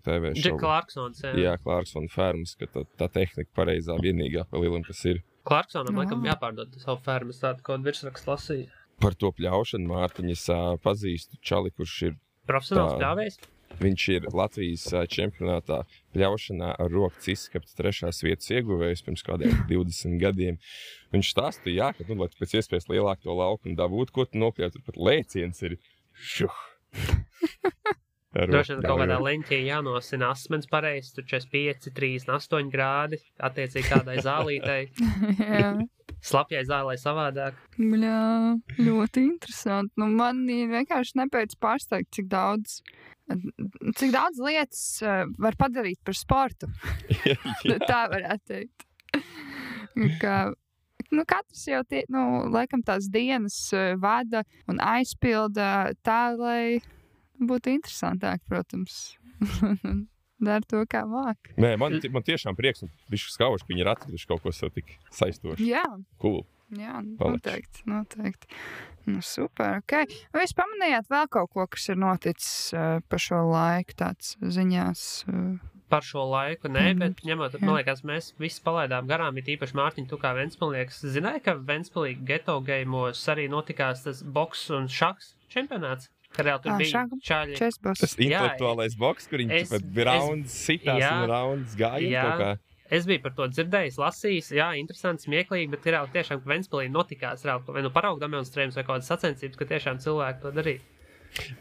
TV šovu. Clarksons, jā. Jā, Clarkson fermas, ka tā tehnika pareizā vienīgā pa lielam, kas ir. Clarksonam laikam jāpārdod savu fermas, tādu kaut virsrakstu lasīja. Par to pļaušanu Mārtiņas pazīstu čali, kurš ir profesionāls pļāvējs. Viņš ir Latvijas čempionātā pļaušanā ar rokas izskapta 3. vietas ieguvējs pirms kādiem 20 gadiem. Viņš stāstīja, ka, lai tu pēc iespējas lielāku to laukumu dabūtu, ko tu nopļautu, pat lēciens ir šuh. Droši vien kaut kādā leņķī jānosina asmens pareizi, tur 45, 38 grādi, attiecīgi kādai zālītei. Slapjai zālei savādāk. Bļā, ļoti interesanti. Nu, man vienkārši nepēc pārsteigt, cik daudz lietas var padarīt par sportu. Tā varētu teikt. Katrs jau laikam tās dienas vada un aizpilda tā, lai būtu interesantāk, protams. Dara to, kā māk. Nē, man tiešām prieks, un bišķi skauši, ka viņi ir atraduši kaut ko savu tik saistošu. Jā. Cool. Jā, noteikti. Nu, super, ok. Vai jūs pamanījāt vēl kaut ko, kas ir noticis par šo laiku, tāds ziņās? Par šo laiku, nē, bet ņemot, man liekas, mēs visi palaidām garām, ir īpaši Mārtiņ, tu kā Ventspilnieks. Zināji, ka Ventspilī geto geimos arī notikās tas boks un šaks čempionāts? Kad jau tur bija čaļi. Tas intelektuālais boks, kur viņi rauns sitās un rauns gāja kaut kā. Es biju par to dzirdējis, lasījis, jā, interesanti, smieklīgi, bet ir jau tiešām, ka Ventspilī notikās vai paraugu demonstrējums vai kādas sacensības, ka tiešām cilvēki to darīja.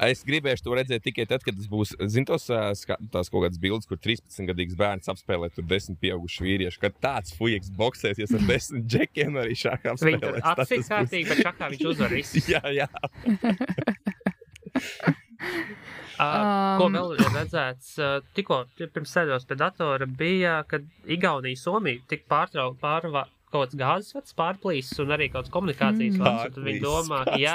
Es gribēšu to redzēt tikai tad, kad tas būs, tās kaut kādas bildes, kur 13-gadīgs bērns apspēlē tur 10 pieauguši vīrieši, kad tāds fujeks boksēsies ar 10 džekiem arī šākā apspēlēs. Viņi tur atsīt kārtīgi, bet šākā viņš uzvar visus. Jā. Ko vēl ir redzēts? Tikko pirms sēdos pie datora bija, kad Igaunija, Somija tik pārva kaut kāds gāzes vads pārplīsis un arī kaut kāds komunikācijas vads, un tad viņi domā, jā.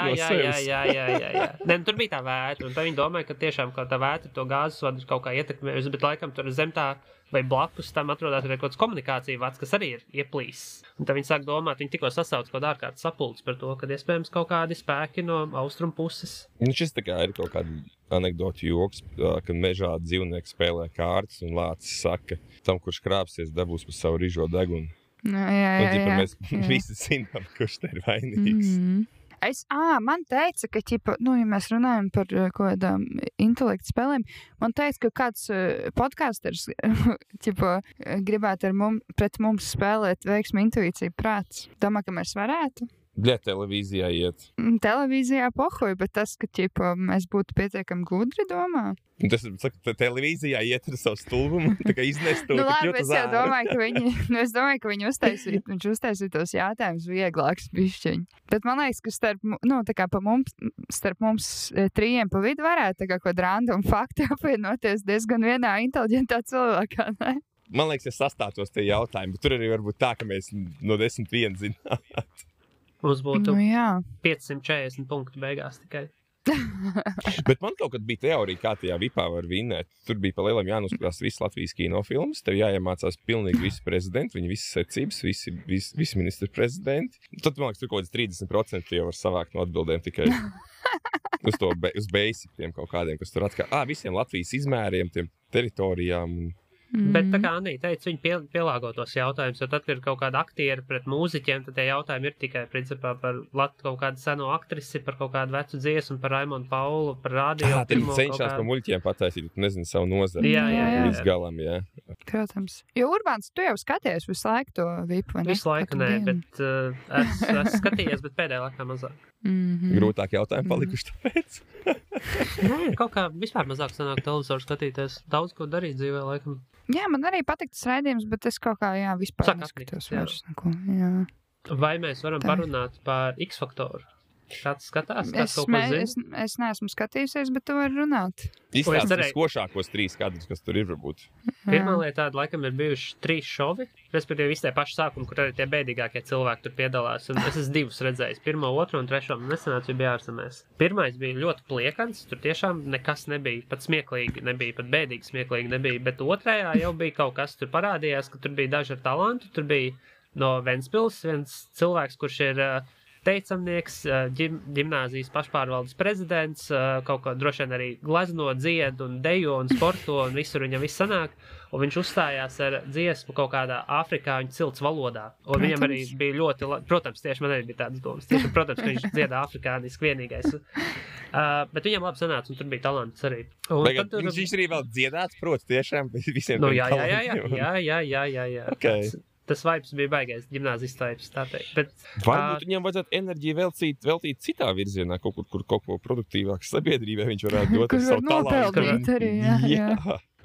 Ne, tur bija tā vētra, un tad viņi domāja, ka tiešām kaut tā vētra to gāzes vadu kaut kā ietekmējusi, bet laikam tur zem tā vai blakus tam atrodās arī kaut kāds komunikācija vads, kas arī ir ieplīsis. Un tad viņi sāk domāt, viņi tikko sasauc kaut kādu ārkārtas sapulci par to, ka iespējams kaut kādi spēki no austrumu puses. Šis tā kā ir kaut kāda anekdota joks, kad mežā dzīvnieki spēlē kārtas un lācis saka, tam, kurš krāpsies, dabūs par savu rižo degunu. Jā. Mēs visi zinām, kurš te ir vainīgs. Man teica, ka, ja mēs runājam par kaut kādām intelektu spēlēm, man teica, ka kāds podkāsters gribētu pret mums spēlēt veiksmi intuīciju prāts. Domā, ka mēs varētu? Televīzijā iet. Televīzijā pohuj, bet tas, ka mēs būtu pietiekami gudri, domā. Tas, saka, televīzijā iet ar savu stulbumu, tā kā iznest to. Labi, es jau domāju, ka viņi uztaisīja tos jautājumus vieglāks bišķiņi. Bet man liekas, ka starp mums trījiem pa vidu varētu tā kā kaut random fakti apvienoties diezgan vienā inteliģentā cilvēkā, ne? Man liekas, es sastātos tie jautājumi, bet tur arī varbūt tā, ka mēs no 10 zināt. Mums būtu 540 punktu beigās tikai. Bet man kaut kad bija teorija, kā tajā vipā var vinnēt. Tur bija pa lielam jānoskatās visas Latvijas kinofilmas, tev jāiemācās pilnīgi visi prezidenti, viņi visas secības, visi ministri prezidenti. Tad, man liekas, tur kaut kāds 30% jau var savākt no atbildēm tikai uz basiciem kaut kādiem, kas tur atskā. Visiem Latvijas izmēriem, tiem teritorijām. Bet tā kā Anī teica, viņi pielāgo tos jautājumus, jo tad, kad ir kaut kāda aktieri pret mūziķiem, tad tie jautājumi ir tikai, principā, par kaut kādu seno aktrisi, par kaut kādu vecu dziesmu, par Raimondu Paulu, par radio. Tad cenšās par muļķiem pataisīt, nezinu, savu nozari. Jā. Līdz galam, jā. Protams. Jo, Urbāns, tu jau skaties visu laiku to vipu, vai ne? Visu laiku nē, bet es skatījies, bet pēdējā laikā mazāk. Grūtāk jautājumi palikuši tāpēc. Kaut kā vispār mazāk sanāk televizoru skatīties. Daudz ko darīt dzīvē, laikam. Jā, man arī patīk tas raidījums, bet es kaut kā, vispār neskatos vairs neko. Jā. Vai mēs varam parunāt par X-faktoru? Kāds skatās? Kāds kaut ko zina? Es neesmu skatījusies, bet tu vari runāt. Izstāstīt skošākos 3 kadrus, kas tur ir varbūt. Pirmā lieta tāda, laikam, ir bijuši 3 šovi, respektīvi visi tie paši sākumi, kur arī tie bēdīgākie cilvēki tur piedalās. Un es esmu 2 redzējis. 1, 2 un 3. Nesenāts bija ārzemēs. Pirmais bija ļoti pliekans, tur tiešām nekas nebija, pat smieklīgi nebija, pat bēdīgi smieklīgi nebija, bet otrajā jau bija kaut kas, tur parādījās, ka tur bija daži ar talantu, tur bija no Ventspils viens cilvēks, kurš ir teicamnieks, ģimnāzijas pašpārvaldes prezidents, kaut ko droši vien arī glezno, dzied un dejo un sporto un visur viņam viss sanāk. Un viņš uzstājās ar dziesmu kaut kādā afrikāņu cilts valodā. Un viņam arī bija ļoti, protams, tieši man arī bija tādas domas. Tieši, protams, ka viņš dziedā afrikāniski vienīgais. Bet viņam labi sanāca, un tur bija talants arī. Viņš arī vēl dziedāts, protams, tiešām visiem jā. Okay. tas vibes bija baigais ģimnāzijas vibes, tā teikt. Bet, varbūt viņam vajadzētu enerģiju veltīt citā virzienā, kaut ko produktīvāku sabiedrībai viņš varētu dot ar savu talantu. Arī, jā.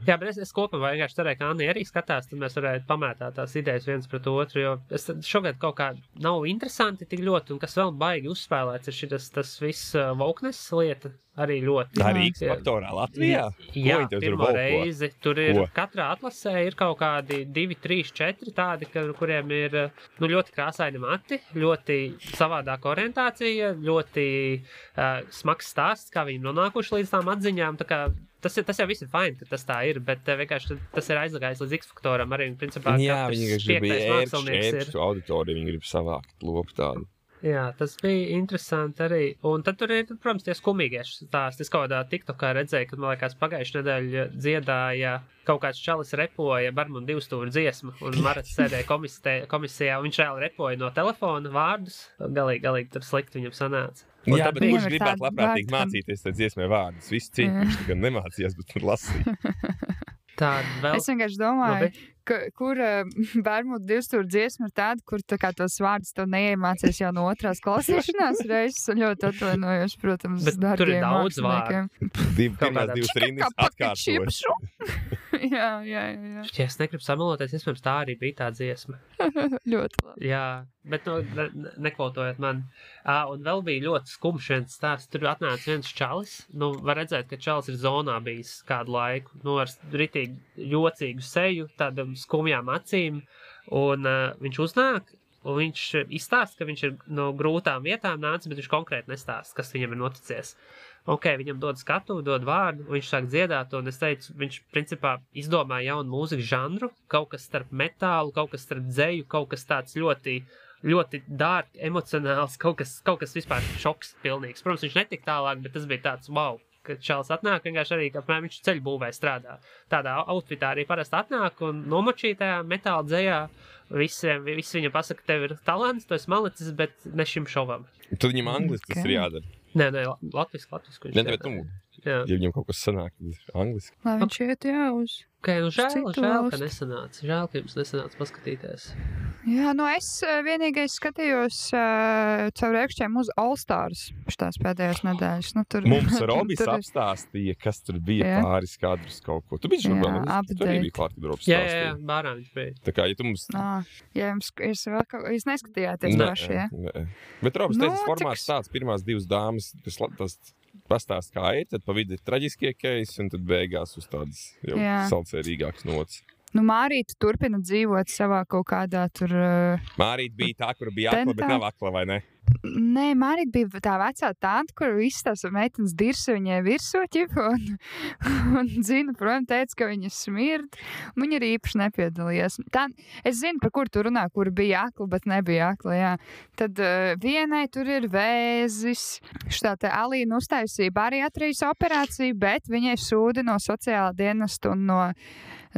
Jā, bet es kopumā vienkārši cerēju, ka Anni arī skatās, tad mēs varētu pamētāt tās idejas viens pret otru, jo es šogad kaut kā nav interesanti tik ļoti, un kas vēl baigi uzspēlēts, ir tas viss wokeness lieta arī ļoti. Tā Rīgas faktorā Latvijā? Jā, pirmo reizi. Tur ir katrā atlasē ir kaut kādi 2, 3, 4 tādi, kuriem ir ļoti krāsaini mati, ļoti savādāka orientācija, ļoti smags stāsts, kā viņi nonākuši līdz tām atziņām, tā kā tas jau viss ir fajn, ka tas tā ir, bet vienkārši tas ir aizlagājis līdz X-faktoram arī, un principā viņi grib ērkšķu auditoriju, viņi grib savākt lopu tādu. Jā, tas bija interesanti arī. Un tad tur ir, protams, tie skumīgie stāsti. Es kaut kādā TikTokā redzēju, kad, man liekas, pagājušajā nedēļā dziedāja kaut kāds čalis repoja Barmuna 2 stūra dziesmu, un Marats sēdēja komisijā, un viņš reāli repoja no telefona vārdus. Galīgi tur slikti viņam sanāca. Un jā, bet kurš gribētu labprātīgi mācīties tad dziesmē vārdus? Visi cīņi, kurš tikai nemācījās, bet tur lasīja. Es vienkārši domāju, kur Barmuna 2 stūra dziesma ir tāda, kur tā kā tos vārdus tev neiemācies jau no otrās klausīšanās reizes, un ļoti atvainojos, protams, darbiem māksliniekiem. Pirmās 2 rindas atkārtoši. Jā. Ja es negribu samaloties, iespējams, tā arī bija tā dziesma. Ļoti labi. Jā, bet nekvotojot man. Un vēl bija ļoti skumjš viens stāsts. Tur atnāca viens čalis. Var redzēt, ka čalis ir zonā bijis kādu laiku. Ar ritīgi jocīgu seju, tādam skumjām acīm. Un viņš uznāk, un viņš izstāsta, ka viņš ir no grūtām vietām nācis, bet viņš konkrēti nestāsta, kas viņam ir noticies. Viņam dod skatu, dod vārdu, viņš sāk dziedāt, un es teicu, viņš principā izdomāja jaunu mūzikas žanru, kaut kas starp metālu, kaut kas starp dzeju, kaut kas tāds ļoti, ļoti dark, emocionāls, kaut kas vispār šoks pilnīgs. Protams, viņš netika tālāk, bet tas bija tāds wow, kad čalis atnāk, vienkārši arī, apmēram viņš ceļbūvē strādā. Tādā outfitā arī parasti atnāk un nomočītajā metāla dzejā. Visi viņam pasaka, tev ir talants, tu esi malicis, bet ne šim šovam. Tad viņam angliski tas ir jādara. Nē, latviski. Ja viņam kaut kas sanāk, tad ir angliski. Lai viņš iet uz žēl, ka nesanāca. Žēl, ka jums nesanāca paskatīties. Jā, es vienīgais skatījos caur ēkšķiem uz All Stars šitās pēdējās nedēļas. Mums Robis apstāstīja, kas tur bija pāris kadrus kaut ko. Tu biji žurnālists? Tu arī biji klāt, kad Robis stāstīja. Jā, bārā viņš bija. Tā kā, ja tu mums... Jā, jūs neskatījāties paši, ja? Nē. Bet Robis teica, formāts tāds, pirmās 2 dāmas, tas pastāst kā ir, tad pa vidu ir traģiskie keisi, un tad beigās uz tādas jau salcerīgākas nots. Mārīta turpina dzīvot savā kaut kādā tur... Mārīta bija tā, kur bija akla, bet nav akla, vai ne? Nē, Mārīta bija tā vecā tante, kur visas tās meitenes dirsa viņai virsū, un Zina, protams, teica, ka viņa smird. Viņa arī īpaši nepiedalījās. Es zinu, par kur tu runā, kur bija akla, bet nebija akla, jā. Tad vienai tur ir vēzis. Šitā te Alīna uztaisīja bariatrijas operāciju, bet viņai sūdi no sociālā dienesta un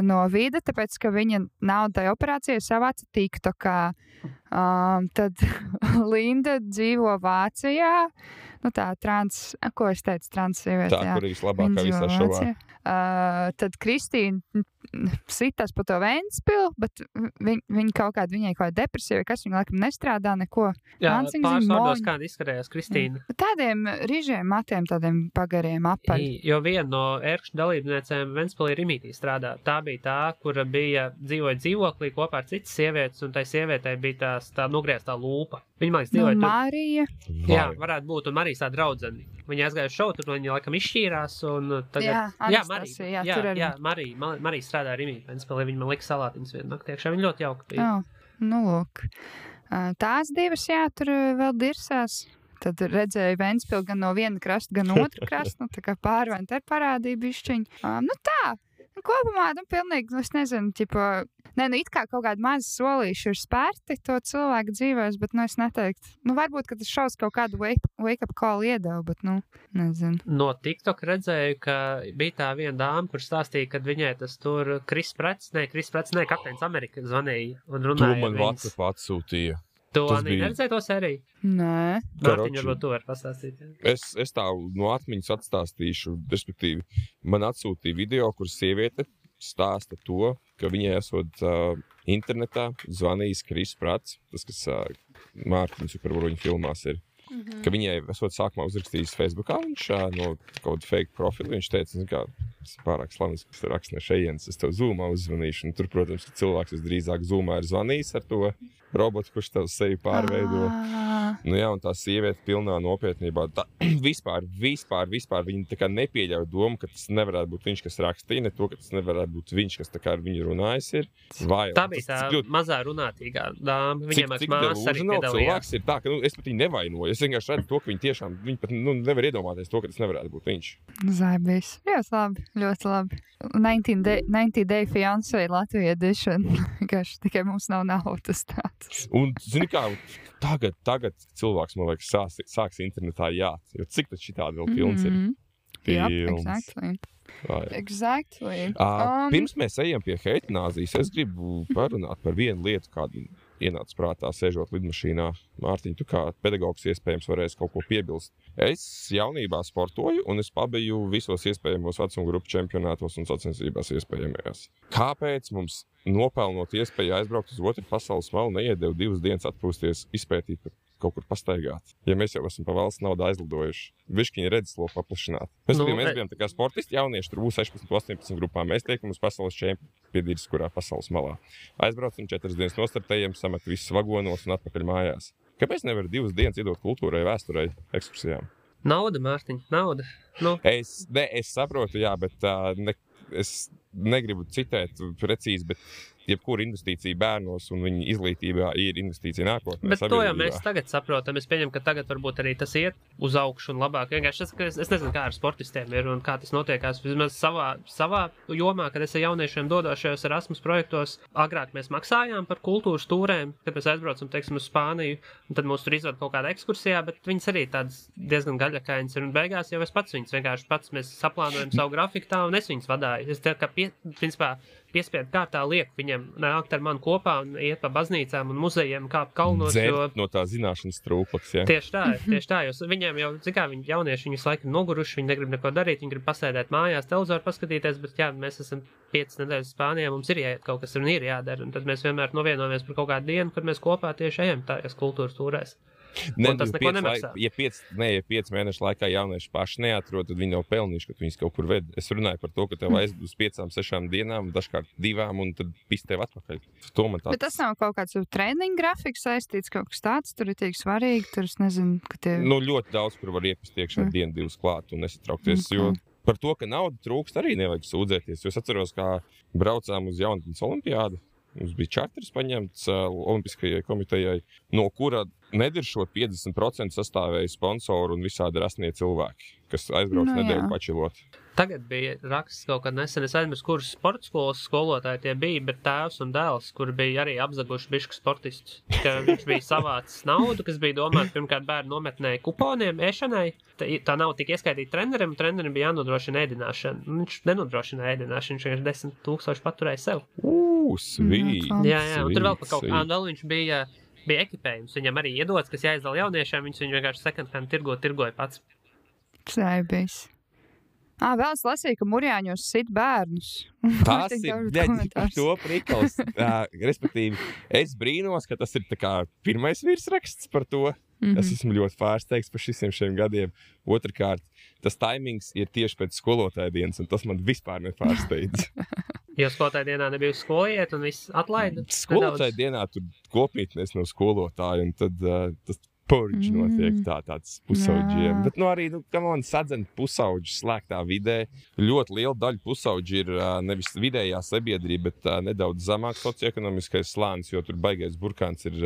no vida, tāpēc, ka viņa nav tai operācijai savāca TikTokā. Tad Linda dzīvo Vācijā. Tā ko es teicu, transsieviete. Tā, kur ir vislabākā visā šovā. Tad Kristīna sitās pa to Ventspilu, bet viņai kaut kāda depresija, vai kas viņa laikam nestrādā neko. Jā, pāris vārdos kāda izskarējās Kristīna. Tādiem rīžiem matiem, tādiem pagariem apaļ. Jo viena no ērkšķu dalībniecēm Ventspilī Rimitī strādā. Tā bija tā, kura dzīvoja dzīvoklī kopā ar citas sievietes, un tai sievietei bija tā nogrieztā lūpa. Viņa, man liekas, dzīvoja Marija. Jā, varētu būt, un Marijas tā draudzene. Viņa aizgāja uz šovu, tur viņa laikam izšķīrās, un tagad... Marija strādā Rimī, Ventspilī, viņa man lika salātiņas vienu nakti iekšā, viņa ļoti jauka bija. Lūk. Tās divas, tur vēl dirsās. Tad redzēju Ventspili gan no viena krasta, gan otru krastu, tā kā pārvēnt ar parādību bišķiņu. Kopumā, pilnīgi, es nezinu, it kā kaut kādi mazi solīši ir spērti to cilvēku dzīvēs, bet, es neteiktu. Varbūt, ka tas šaus kaut kādu wake-up call iedeva, bet, nezinu. No TikTok redzēju, ka bija tā viena dāma, kur stāstīja, kad viņai tas tur Kris Prets, Kapteins Amerika zvanīja un runāja. To man WhatsApp atsūtīja. Tu arī neredzēji to sēriju? Nē. Mārtiņ, varbūt tu vari pastāstīt. Es tā no atmiņas atstāstīšu, respektīvi, man atsūtīja video, kur sieviete stāsta to, ka viņai esot internetā zvanījis Kris Prats, tas, kas Mārtiņš Supervaroņu filmās ir. Ka viņai esot sākumā uzrakstījis Facebookā, viņš no kaut kāda fake profila, viņš teica, ka tas ir pārāk slavens, kas raksta no šejienes, es tev Zoomā uzzvanīšu. Un tur, protams, ka cilvēks visdrīzāk Zoomā ir zvanījis ar to robotu, kurš tev sevi pārveido. Nu jā, un tā sieviete pilnā nopietnībā. Vispār viņa tā kā nepieļauj domu, ka tas nevarētu būt viņš, kas rakstīja, ne to, ka tas nevarētu būt viņš, kas tā kā ar viņu runājis ir. Tā bija tā mazā runātīgā dāma. Viņiem māsas arī piedalījās. Ir tā, ka es pat viņu nevainoju. Es vienkārši redzu to, ka viņi pat nevar iedomāties to, ka tas nevarētu būt viņš. Zaibīs. Ļoti labi. 90 Day Fiancé Latvija edition. Tikai mums nav naudas tāds. Un, zini kā, tagad cilvēks, man liekas, sāks internetā jāt. Jo cik tad šitādi vēl pilns ir? Films. Exactly. Pirms mēs ejam pie heitināzijas, es gribu parunāt par vienu lietu, kādu ienāca prātā, sēžot lidmašīnā. Mārtiņ, tu kā pedagogs iespējams varēsi kaut ko piebilst. Es jaunībā sportoju, un es pabiju visos iespējamos vecuma grupu čempionātos un sacensībās iespējamajās. Kāpēc mums nopelnot iespēju aizbraukt uz otru pasaules malu neiedeva 2 dienas atpūsties, izpētīt, kaut kur pastaigāt? Ja mēs jau esam pa valsts naudu aizlidojuši, viškiņa redzesloku paplašināt. Mēs bijām tā kā sportisti jaunieši, tur būs 16, 18 grupā. Mēs tiekam uz pasaules čempionāts, kurā pasaules malā. Aizbraucam 4 dienas nostartējam, samet visus vagonos un atpakaļ mājās. Kāpēc nevar 2 dienas iedot kultūrai, vēsturei, ekskursijām? Nauda, Mārtiņ, nauda. Nu. Es saprotu, jā, bet es negribu citēt precīzi, bet jebkura investīcija bērnos un viņa izglītībā ir investīcija nākotnē. Bet to jau mēs tagad saprotam. Es pieņemu, ka tagad varbūt arī tas iet uz augšu un labāk. Vienkārši es nezinu, kā ar sportistiem ir un kā tas notiekās. Vismaz savā jomā, kad es ar jauniešiem dodošajos Erasmus projektos, agrāk mēs maksājām par kultūras tūrēm, kad mēs aizbraucam, teiksim, uz Spāniju, un tad mūs tur izved kaut kādā ekskursijā, bet viņas arī tādas diezgan gaļakainas ir, un beigās jau es pats viņas vienkārši mēs saplānojam savu grafiku tā, un es viņas vadāju. Es tā kā principā piespiedu kārtā lieku viņiem nākt ar mani kopā un iet pa baznīcām un muzejiem, kāp kalnos. Dzert no tā zināšanas trūklaks, jā. Tieši tā, jo viņiem jau, viņi jaunieši, viņi laikam noguruši, viņi negrib neko darīt, viņi grib pasēdēt mājās, televizoru paskatīties, bet jā, mēs esam 5 nedēļas Spānijā, mums ir jāiet kaut kas un ir jādara, un tad mēs vienmēr novienojamies par kaut kādu dienu, kad mēs kopā tieši ejam tajās kultūras tūrēs. Tas neko nemaksā. Ja 5 mēnešu laikā jaunieši paši neatrod, tad viņi nav pelnījuši, ka viņus kaut kur ved. Es runāju par to, ka tev aizbūs 5-6 dienām, dažkārt 2, un tad pis tev atpakaļ. Bet tas nav kaut kāds treniņu grafiks saistīts, kaut kas tāds, tur ir tik svarīgi, tur es nezinu, ka tie... Ļoti daudz, kur var iepist iekšā 1-2 klāt un nesatraukties, jo par to, ka nauda trūkst, arī nevajag sūdzēties. Jo es atceros, kā braucām uz jaunatnes olimpiādu. Mums bija čarters paņemts Olimpiskajai komitejai, no kura nediršot 50% sastāvēja sponsoru un visādi rasnie cilvēki, kas aizbrauc nedēļu pačilot. Tagad bija raksts kaut kad nesen, es aizmirsu, kuras sporta skolas skolotāji tie bija, bet tēvs un dēls, kuri bija arī apzaguši bišķi sportistus. Ka viņš bija savācis naudu, kas bija domāts pirmkārt bērnu nometnē kuponiem, ēšanai. Tā nav tik ieskaitīta trenerim bija jānodrošina ēdināšana. Viņš nenodrošina ēdināšanu, viņš vienkārši 10,000 paturēja sev. Svīt! Jā, un tur vēl pa kaut kādu vēl viņš bija ekipējums. Viņam arī iedots, kas jāizdala jauniešiem, viņš viņu vienkārši second-hand tirgoja pats. Saibīs. Vēl es lasīju, ka Murjāņos sit bērnus. Tas ir to prikals. Respektīvi, es brīnos, ka tas ir tā kā pirmais virsraksts par to. Es esmu ļoti pārsteigts par šiem gadiem. Otrkārt, tas taimings ir tieši pēc skolotāja dienas, un tas man vispār nepārsteidz. Jo skolotāja dienā nebija uz skolu iet un viss atlaida? Skolotāja dienā tur kopmītnēs nav skolotāja, un tad tas purģi notiek tāds pusauģiem. Bet arī, sadzen pusauģi slēgtā vidē. Ļoti liela daļa pusauģi ir nevis vidējā sabiedrība, bet nedaudz zamāk socioekonomiskais slānis, jo tur baigais burkāns ir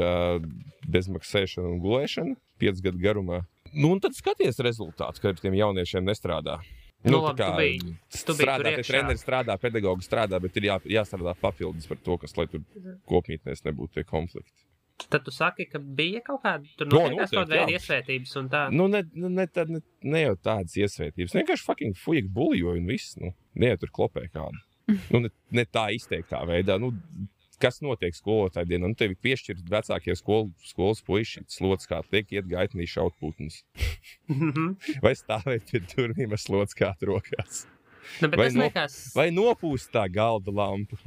bezmaksēšana un gulēšana 5 gadu garumā. Un tad skaties rezultāts, ka ar tiem jauniešiem nestrādā. Labi, tu biji treneri strādā, pedagogi strādā, bet ir jāstrādā papildus par to, kas, lai tur kopmītnēs nebūtu tie konflikti. Tad tu saki, ka bija kaut kāda tur notiekās kaut veida iesvētības un tā? Ne jau tādas iesvētības. Vienkārši fucking fujek buljoju un viss. Ne jau tur klopē kādu. Ne tā izteiktā veidā. Kas notiek skolotāja dienā? Tevi piešķirt vecākie skolas puiši, slots kā tiek iet gaitnī šaut putnus. Vai stāvēt pie durvīm ar slots kā rokās? Vai nopūst tā galda lampu.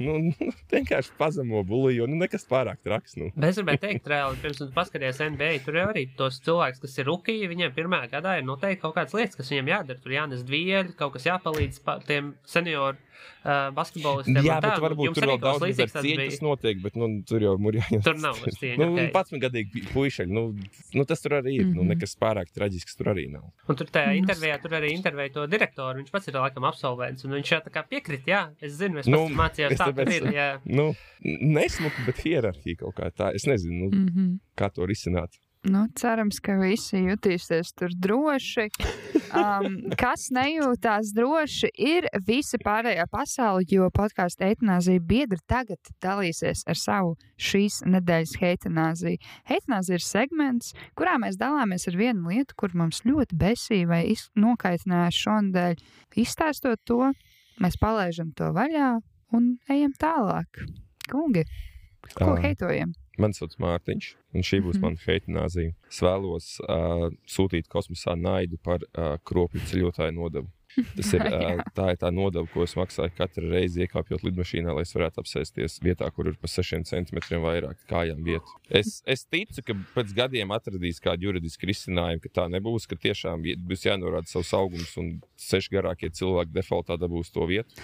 Vienkārši pazemo buliju, nekas pārāk traks. Bet es gribēju teikt, reāli, pirms tu paskaties NBA, tur jau arī tos cilvēks, kas ir rukiji, viņiem pirmajā gadā ir noteikti kaut kādas lietas, kas viņiem jādara. Tur jānes dvieļi, kaut kas jāpalīdz tiem senioru basketbolistiem. Jā, bet varbūt tur vēl daudz ar cieņas notiek, bet tur jau murjāņos. Tur nav ar cieņu. 11-gadīgi puišaļi, tas tur arī ir. Nekas pārāk traģisks tur arī nav. Un tur tajā intervijā, tur arī intervēja to direktoru, viņš pats ir laikam absolvents, un viņš jau tā kā piekrīt, jā, es zinu, es pats mācījos tā, ka ir, jā. Nesmuka, bet hierarhija kaut kā tā, es nezinu, kā to risināt. Cerams, ka visi jutīsies tur droši. Kas nejūtās droši, ir visa pārējā pasaule, jo podkāstu Eitanāzija biedri tagad dalīsies ar savu šīs nedēļas heitanāziju. Heitanāzija ir segments, kurā mēs dalāmies ar vienu lietu, kur mums ļoti besīja vai nokaitināja šonadēļ. Izstāstot to, mēs palaižam to vaļā un ejam tālāk. Kungi, ko heitojam? Mani sauc Mārtiņš, un šī būs mana heitanāzija. Es vēlos sūtīt kosmosā naidu par kropļu ceļotāju nodevu. Tā ir tā nodeva, ko es maksāju katru reizi iekāpjot lidmašīnā, lai es varētu apsēsties vietā, kur ir pa 6 centimetriem vairāk kājām vietu. Es ticu, ka pēc gadiem atradīs kādu juridisku risinājumu, ka tā nebūs, ka tiešām būs jānorāda savs augums un 6 garākie cilvēki defaultā dabūs to vietu.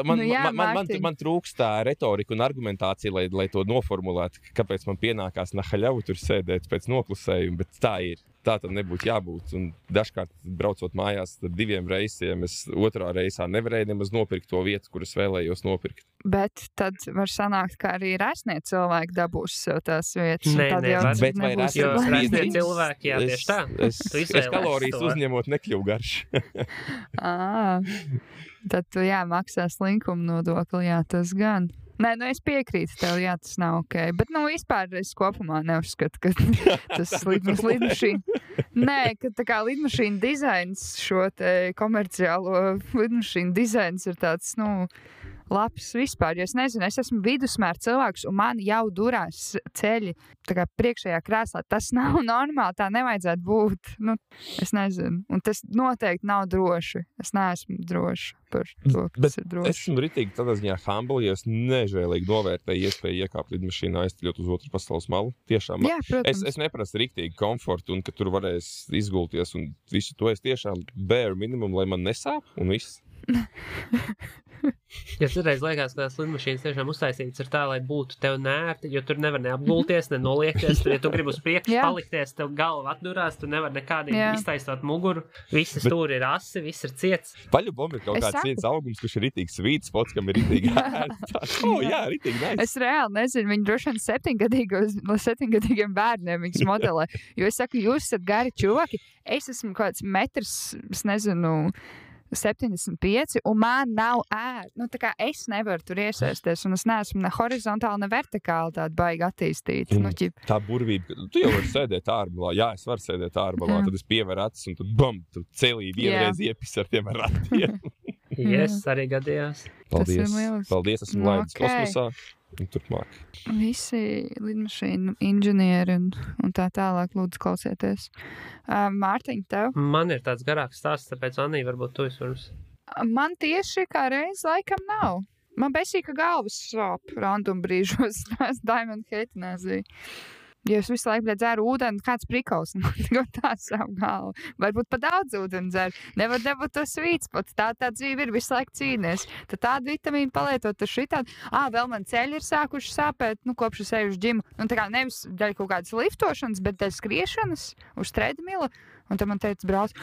Man trūkst tā retorika un argumentācija, lai to noformulētu, kāpēc man pienākās nahaļavu tur sēdēt pēc noklusējuma, bet tā ir. Tā tam nebūtu jābūt. Un dažkārt, braucot mājās ar 2 reisiem, es otrā reisā nevarēju nemaz nopirkt to vietu, kur es vēlējos nopirkt. Bet tad var sanākt, ka arī resnie cilvēki dabūs sev tās vietas. Bet vai resnie cilvēki, jā, tieši tā. Es kalorijas uzņemot nekļuvu garš. Tad tu maksās linkuma nodokli, jā, tas gan. Nē, es piekrītu tev, jā, tas nav ok. Bet, vispār es kopumā neuzskatu, ka tas lidmašīna... Nē, ka tā kā lidmašīna dizains, šo te komerciālo lidmašīna dizains ir tāds, labs vispār, jo es nezinu, es esmu vidusmēra cilvēks, un man jau durās ceļi tā kā priekšējā krēslā. Tas nav normāli, tā nevajadzētu būt. Es nezinu, un tas noteikti nav droši. Es neesmu droši par to, kas ir droši. Es esmu ritīgi tādā ziņā humble, ja es nežēlīgi novērtēju iespēju iekāpt lidmašīnā, aizceļot uz otru pasaules malu. Tiešām. Jā, protams. Es neprasu riktīgi komfortu, un ka tur varēs izgulties, un visu to es tiešām bare minimum, lai man nesāp, un viss. Ja citreiz liekas, ka tās lidmašīnas tiešām uztaisītas ir tā, lai būtu tev nērti, jo tur nevar neapgulties, ne noliekties, tur, ja tu gribi uz priekšu palikties, tev galva atdurās, tu nevar nekādīgi iztaistot muguru, visi stūri ir asi, viss ir ciets. Paļubom ir kaut kāds ciets augums, kurš ir ritīgi svīts, spots, kam ir ritīgi ritīgi nice. Es reāli nezinu, viņi droši vien 7-gadīgiem bērniem viņas modelē, jo es saku, jūs esat gari čuvaki, es esmu kāds metrs, es nezinu, 75, un man nav tā kā es nevaru tur iesaisties, un es neesmu ne horizontāli, ne vertikāli tāda baigi attīstīta. Tā burvība, tu jau vari sēdēt ārbalā, jā, es varu sēdēt ārbalā, tad es pieveru acis, un tu celī vienreiz iepis ar tiem ratiem. Yes, arī gadījās. Paldies, esmu laidis kosmosā. Un turpmāk. Visi lidmašīnu inženieri un tā tālāk lūdzu klausieties. Mārtiņ, tev? Man ir tāds garāks stāsts, tāpēc Anī, varbūt tu vispirms. Man tieši kā reiz laikam nav. Man besīja, ka galvas sāp random brīžos Diamond heitanāzija. Ja es visu laiku dzēru ūdeni, kāds prikals, tā savu galvu. Varbūt pa daudz ūdeni dzer. Nevar dabūt to svītspots. Tā dzīve ir visu laiku cīnies. Tad tādu vitamīnu palietot, tad šitādi. Vēl man ceļi ir sākuši sāpēt, kopš es eju uz džimu. Tā kā nevis dēļ kaut kādas liftošanas, bet dēļ skriešanas uz treadmila. Un tad man teica brālis,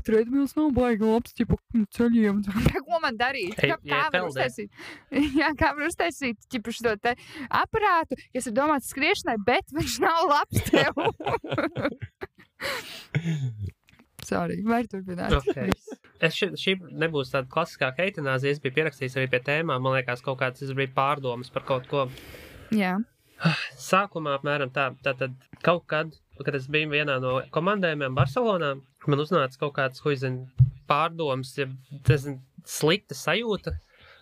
treadmils nav baigi labs, ķipa ceļiem. Ko man darīt? Kā var uztaisīt? Jā, kā var uztaisīt, ķipa šo te aparātu, kas ir domāts skriešanai, bet viņš nav labs tev. Sorry, vai turpināt? Okay. Šī nebūs tāda klasiskā heitanāzija, es biju pierakstījis arī pie tēmām, man liekas kaut kāds, es biju pārdomas par kaut ko. Jā. Sākumā apmēram tātad kaut kad es biju vienā no komandējumiem Barcelonā, man uznāca kaut kāds, pārdomas, slikta sajūta,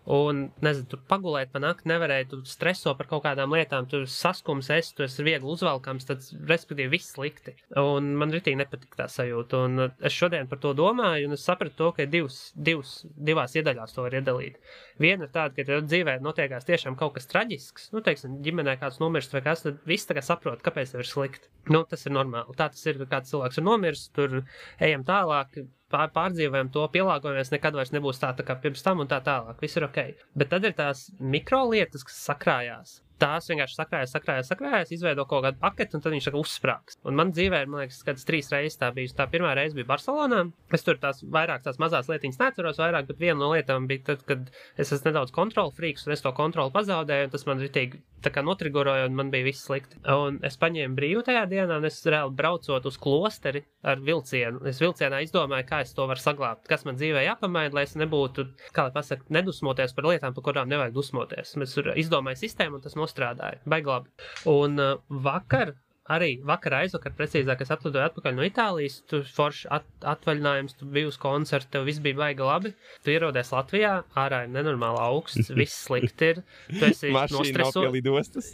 un, nezinu, tu pagulēt pa nakti nevarēji, tu streso par kaut kādām lietām, tu saskums esi, tu esi viegli uzvalkams, tad, respektīvi, viss slikti. Un man ritīgi nepatika tā sajūta, un es šodien par to domāju, un es sapratu to, ka divās iedaļās to var iedalīt. Viena ir tāda, ka tev dzīvē notiekās tiešām kaut kas traģisks, nu, teiksim, ģimenē kāds nomirst vai kas, tad viss tagad saprot, kāpēc tev ir slikti. Nu, tas ir normāli. Tā tas ir, kāds cilvēks ir nomirs, tur ejam tālāk, pārdzīvojam to, pielāgojamies, nekad vairs nebūs tā kā pirms tam un tā tālāk. Viss ir ok. Bet tad ir tās mikrolietas, kas sakrājās. Tās vienkārši sakrājās, izveido kaut kādu paketi un tad viņš uzsprāgs. Un man dzīvē ir, man liekas, kāds 3 reizes tā bijusi. Tā pirmā reize bija Barcelonā. Es tur tās mazās lietiņas neatceros vairāk, bet viena no lietām bija tad, kad es esmu nedaudz kontrolu frīks un es to kontroli pazaudēju, un tas man ritīgi tā kā notrigoroja un man bija viss slikti. Un es paņēmu brīvu tajā dienā un es reāli braucot uz klosteri ar vilcienu. Es vilcienā izdomāju, kā es to varu saglābt, kas man dzīvē jāpamaina, lai es nebūtu, kā lai pasaka, nedusmoties par lietām, par kurām nevajag dusmoties. Es izdomāju sistēmu un tas nostrādāja. Baigi labi. Un vakar aizvakar, precīzāk, es atlidoju atpakaļ no Itālijas, tu forši atvaļinājums, tu biji uz koncertu, tev viss bija baigi labi, tu ierodies Latvijā, ārā ir nenormāli augsts, viss slikti ir, tu esi Mašīna nav pie lidostas.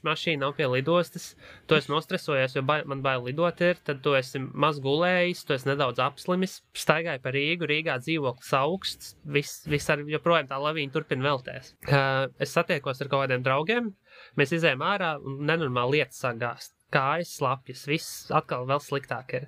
Mašīna nav pie lidostas, tu esi nostresojies, jo man bail lidot ir, tad tu esi maz gulējis, tu esi nedaudz apslimis, staigāji pa Rīgu, Rīgā dzīvoklis augsts, viss ar joprojām tā lavīna turpina velties. Es satiekos ar kaut kādiem draugiem, mēs izējām ārā un nenormāli lietas sāk gāzt. Kājas, slapjas, viss atkal vēl sliktāk ir.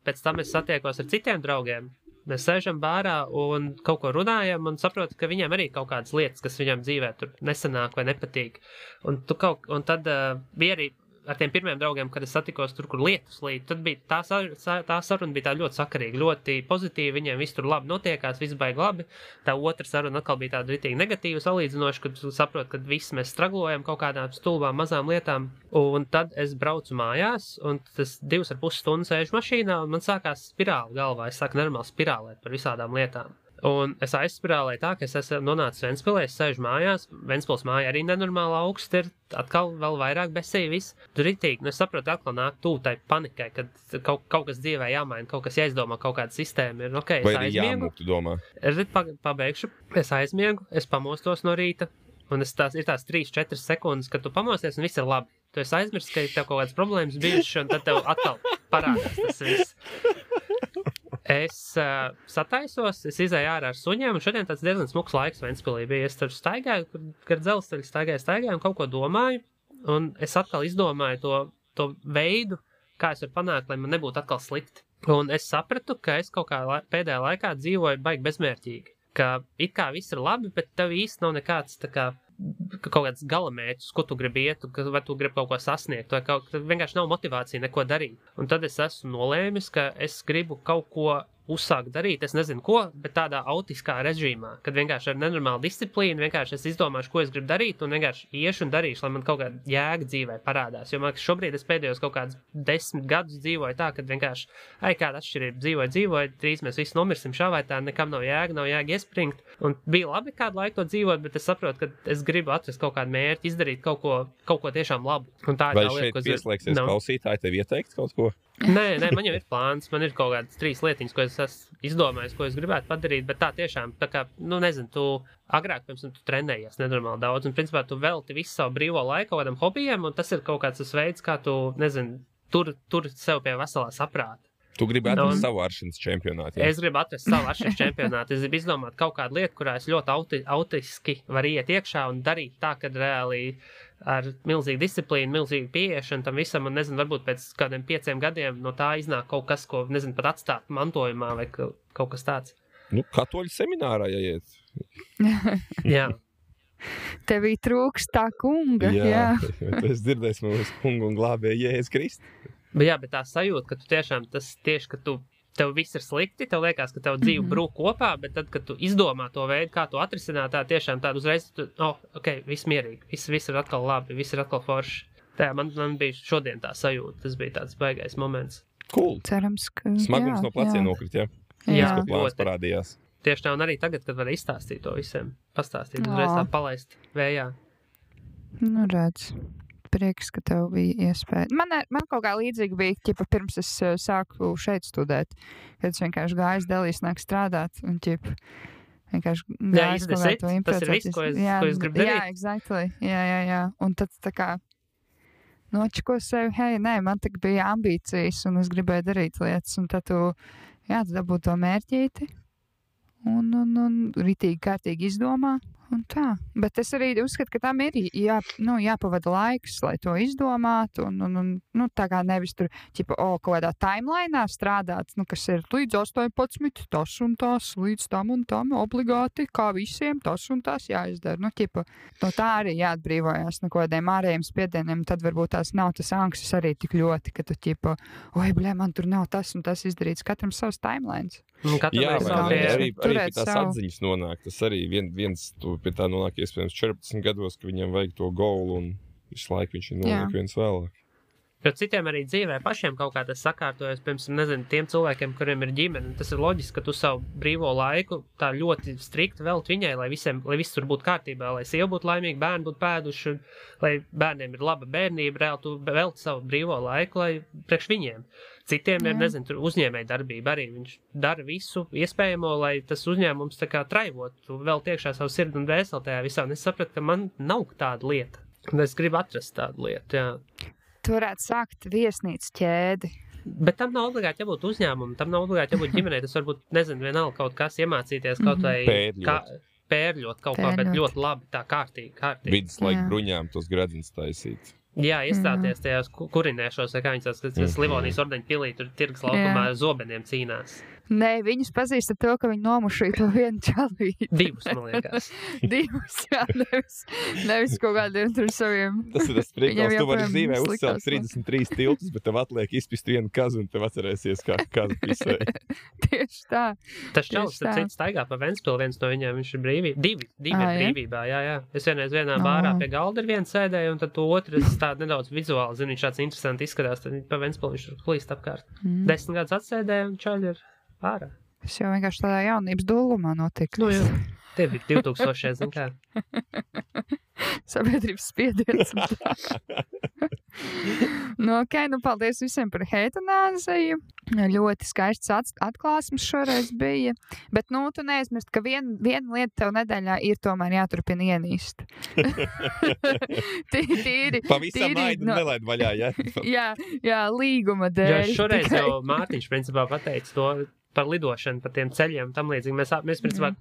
Pēc tam es satiekos ar citiem draugiem. Mēs sēžam bārā un kaut ko runājam un saprotu, ka viņiem arī kaut kādas lietas, kas viņam dzīvē tur nesanāk vai nepatīk. Un tad bija arī ar tiem pirmiem draugiem, kad es satikos tur, kur lietus līd, tad bija tā saruna bija tā ļoti sakarīga, ļoti pozitīva, viņiem viss tur labi notiekās, viss baigi labi. Tā otra saruna atkal bija tāda ritīgi negatīva salīdzinoša, kad saprot, ka viss mēs straglojam kaut kādām stulbām mazām lietām. Un tad es braucu mājās, un tas 2,5 stundas sēžu mašīnā, un man sākās spirāli galvā, es sāku normāli spirālēt par visādām lietām. Un es aizspirālēju tā, ka es esmu nonācis Ventspilē, es sēžu mājās, Ventspils māja arī nenormāli augsts ir, atkal vēl vairāk besī viss. Tur ritīgi, es saprotu, atkal nāk tūtai panikai, kad kaut kas dzīvē jāmaina, kaut kas jāizdomā, kaut kāda sistēma ir. Okay, vai arī jāmūk, tu domā? Es pabeigšu, es aizmiegu, es pamostos no rīta, un ir tās 3-4 sekundes, kad tu pamosties, un viss ir labi. Tu esi aizmirst, ka tev kaut kādas problēmas bijušas, un tad tev atkal parādās tas viss. Es sataisos, es izēju ārā ar suņiem, un šodien tāds diezgan smuks laiks Ventspilī bija. Es tur staigāju, gar dzelzceļu staigāju un kaut ko domāju, un es atkal izdomāju to veidu, kā es varu panākt, lai man nebūtu atkal slikti. Un es sapratu, ka es kaut kā pēdējā laikā dzīvoju baigi bezmērķīgi, ka it kā viss ir labi, bet tev īsti nav nekāds tā kā kaut kāds galamērķis, ko tu gribi iet, vai tu gribi kaut ko sasniegt, vai vienkārši nav motivācija neko darīt. Un tad es esmu nolēmis, ka es gribu kaut ko uzsākt darīt, es nezinu ko, bet tādā autiskā režīmā, kad vienkārši ar nenormālu disciplīnu, vienkārši es izdomāšu, ko es gribu darīt, un vienkārši iešu un darīšu, lai man kaut kāda jēga dzīvē parādās. Jo man šobrīd es pēdējos kaut kādus 10 gadus dzīvoju tā, kad vienkārši, kāda atšķirība dzīvoju, drīz mēs visi nomirsim šā vai tā, nekam nav jēga iespringt. Un bija labi kādu laiku to dzīvot, bet es saprotu, ka es gribu atrast kaut kādu mērķi, izdarīt kaut ko tiešām labu. Un tā vai šeit pieslēgsies klausītāji, tev ieteikt kaut ko? Nē, man jau ir plāns, man ir kaut kādas 3 lietiņas, ko es esmu izdomājis, ko es gribētu padarīt, bet tā tiešām, tā kā, nezinu, tu agrāk, piemēram, tu trenējies nenormāli daudz, un principā tu velti visu savu brīvo laiku kaut kādam hobijam, un tas ir kaut kāds tas veids, kā tu, nezinu, tur sev pie veselā saprāta. Tu gribi atrast savu aršanas čempionātu? Ja? Es gribu atrast savu aršanas čempionātu. Es gribu izdomāt kaut kādu lietu, kurā es ļoti autiski varu iet iekšā un darīt tā, kad reāli ar milzīgu disciplīnu, milzīgu pieiešanu tam visam, un nezinu, varbūt pēc kādiem 5 gadiem no tā iznāk kaut kas, ko, nezinu, pat atstāt mantojumā vai kaut kas tāds. Katoļu seminārā jāiet. Jā. Tevī trūks tā kunga. Jā. Es dzirdēju mūsu kungu un glābēju Jēzus Kristu. Bet tā sajūta, ka tu tiešām tieši, ka tev viss ir slikti, tev liekas, ka tev dzīve brūk kopā, bet tad, kad tu izdomā to veidu, kā to atrisināt, tā tiešām tādu uzreiz, viss mierīgi, viss ir atkal labi, viss ir atkal forši. Tā man bija šodien tā sajūta, tas bija tāds baigais moments. Cool. Cerams, ka smagums no pleciem nokrit, ja? Jā, plāns parādījās. Tieši tā, un arī tagad, kad var izstāstīt to visiem, pastāstīt, uzreiz tā palaist vējā. Redz. Prieks, ka tev bija iespēja. Man kaut kā līdzīgi bija, ķipa, pirms es sāku šeit studēt, kad es vienkārši gāju, delīs nāk strādāt, un ķipa, vienkārši gājis kaut kā to improvizēt. Tas ir viss, ko es gribu darīt. Jā, exactly. Jā. Un tad tā kā nočiko sevi, hei, nē, man tik bija ambīcijas un es gribēju darīt lietas. Un tad tu dabū to mērķīti un ritīgi kārtīgi izdomā. Un tā. Bet es arī uzskatu, ka tam ir jāpavada laiks, lai to izdomātu. Un tā kā nevis tur, kaut kādā timelainā strādāt, kas ir līdz 18, tas un tas, līdz tam un tam, obligāti, kā visiem, tas un tas jāizdara. No tā arī jāatbrīvojās no kādiem ārējiem spiedieniem. Tad varbūt tās nav tas anksis arī tik ļoti, ka tu man tur nav tas un tas izdarīts. Katram savs timelines. Jā, arī pie tās atziņas nonāk. Tas arī viens pie tā nonāk iespējams 14 gados, ka viņam vajag to goulu un visu laiku viņš ir noliek viens vēlāk. Jo citiem arī dzīvē pašiem kaut kā tas sakārtojas, piemēram, tiem cilvēkiem, kuriem ir ģimene. Tas ir loģiski, ka tu savu brīvo laiku tā ļoti strikti velti viņai, lai viss tur būtu kārtībā, lai sieva būtu laimīga, bērni būtu pēduši, lai bērniem ir laba bērnība, reāli tu velti savu brīvo laiku, lai priekš viņiem. Citiem ir, tur uzņēmēja darbība arī. Viņš dara visu iespējamo, lai tas uzņēmums tā kā traivot. Tu vēl tiekšā savu sirdi un dvēseli tajā visā. Un es sapratu, ka man nav tāda lieta. Un es gribu atrast tādu lietu, jā. Tu varētu sākt viesnīcu ķēdi. Bet tam nav obligāti jābūt uzņēmumam, tam nav obligāti jābūt ģimenei. Tas varbūt, vienalga kaut kas iemācīties, kaut vai pērļot kaut kā, bet ļoti labi, tā kārtīgi. Viduslaika bruņām tos gredzens taisīt. Jā, iestāties tajās kurinēšos, kā viņas tās Livonijas ordeņa pilī, tur tirgas laukumā ar zobeniem cīnās. Nē, viņus pazīst ar to, ka viņi nomušīja to vienu čalīti. Divus, man liekas. Divus, jā, nevis kaut kādiem tur saviem. Tas ir tas priekals, tu vari dzīvē uzcelt 33 tiltus, bet tev atliek izpist vienu kazu un tev atcerēsies, kā kazu pisē. Tieši tā. Tas čalis, tad cits staigā pa Ventspilu, viens no viņiem, viņš ir brīvībā. Divi ir brīvībā, jā. Es vienā bārā pie galda ir viens sēdēju, un tad to otru es tā nedaudz vizuāli, zinu, viņš tāds interesanti izskatās, tad pa Ventspilu viņš tur plīst apkārt. 10 gadus atsēdēju, un čaļi ir ārā. Tas jau vienkārši tādā jaunības dūlumā notika. Jā. Tie bija 2000, zin kā. Sabiedrības spiediens. Paldies visiem par heitanāziju. Ļoti skaists atklāsmes šoreiz bija. Bet, tu neaizmirst, ka viena lieta tev nedēļā ir tomēr jāturpina ienīst. Tīri. Pavisam aidu nelaid vaļā, jā? Jā, līguma dēļ. Jo šoreiz jau Mārtiņš principā pateica to par lidošanu, par tiem ceļiem, tam līdzīgi. Mēs principā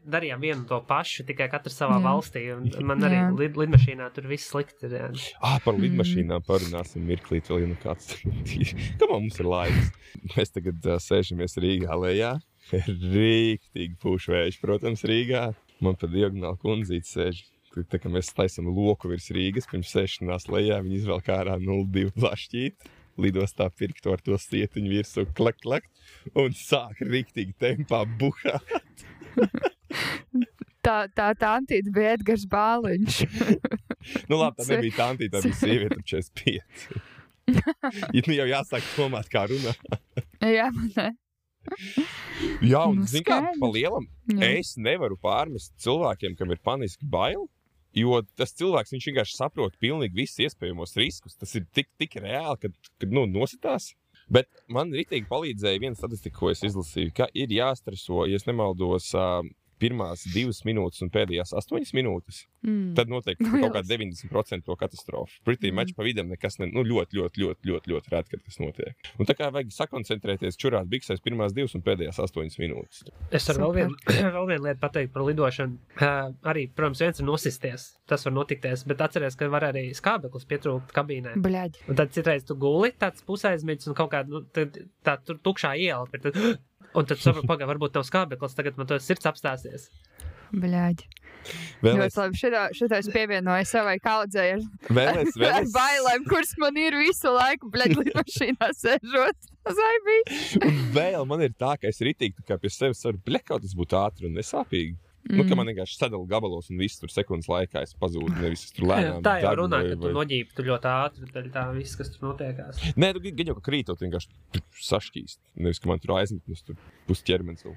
darījām vienu to pašu, tikai katrs savā valstī, un man arī lidmašīnā tur viss slikti ir. Par lidmašīnām parunāsim mirklīt vēl kāds. Kamā mums ir laiks? Mēs tagad sēžamies Rīgā lejā. Rīktīgi pūš vējš, protams, Rīgā. Man pa diagonāli kundzīti sēž. Tā kā mēs taisam loku virs Rīgas, pirms sēšanās lejā, viņi izvēl ārā 02 plašķīt. Lidostā pirkt ar to stietiņu virsū, klak, un sāk riktīgi tempā buhāt. Tā tantīte bija Edgars Bāliņš. Labi, tā nebija tantīte, tā bija sieviete 45. Jau jāsāk domāt, kā runā. Jā, man ne. Jā, un zin kā, pa lielam, es nevaru pārmest cilvēkiem, kam ir paniski baili. Jo tas cilvēks, viņš vienkārši saprot pilnīgi visus iespējamos riskus. Tas ir tik reāli, kad nositās. Bet man ritīgi palīdzēja viena statistika, ko es izlasīju, ka ir jāstreso, ja es nemaldos, pirmās 2 minūtes un pēdējās 8 minūtes. Tad noteikti kaut kā 90% to katastrofu. Pretī maču pa vidam nekas ļoti rēt, kad tas notiek. Un tā kā vajag sakoncentrēties čurāt biksēs pirmās 2 un pēdējās 8 minūtes. Es varu vēl vienu lietu pateikt par lidošanu. Arī, protams, viens ir nosisties. Tas var notikties, bet atceries, ka var arī skābeklis pietrūkt kabīnē. Bļaģi. Un tad citreiz tu guli, tāds pusaizmidzis un kaut kāda, tā tur tukšā iela. Un tad sapratu, varbūt tev skābeklis, tagad man to sirds apstāsies. Bļaģi. Ļoti labi, šitā es pievienoju savai kaudzei ar bailēm, kuras man ir visu laiku, lidmašīnā sēžot. Un vēl man ir tā, ka es ritīgi kā pie sevis varu, kaut tas būtu ātri un nesāpīgi. Ka man vienkārši sadala gabalos un viss tur sekundes laikā es pazūdu, nevis es tur lēnām. Tā jau runā, ka tu noģīpi tu ļoti ātri, tā viss, kas tur notiekās. Nē, tu gan jau, ka krītot vienkārši sašķīst. Nevis, ka man tur aizmetnes tur pus ķermenis vēl.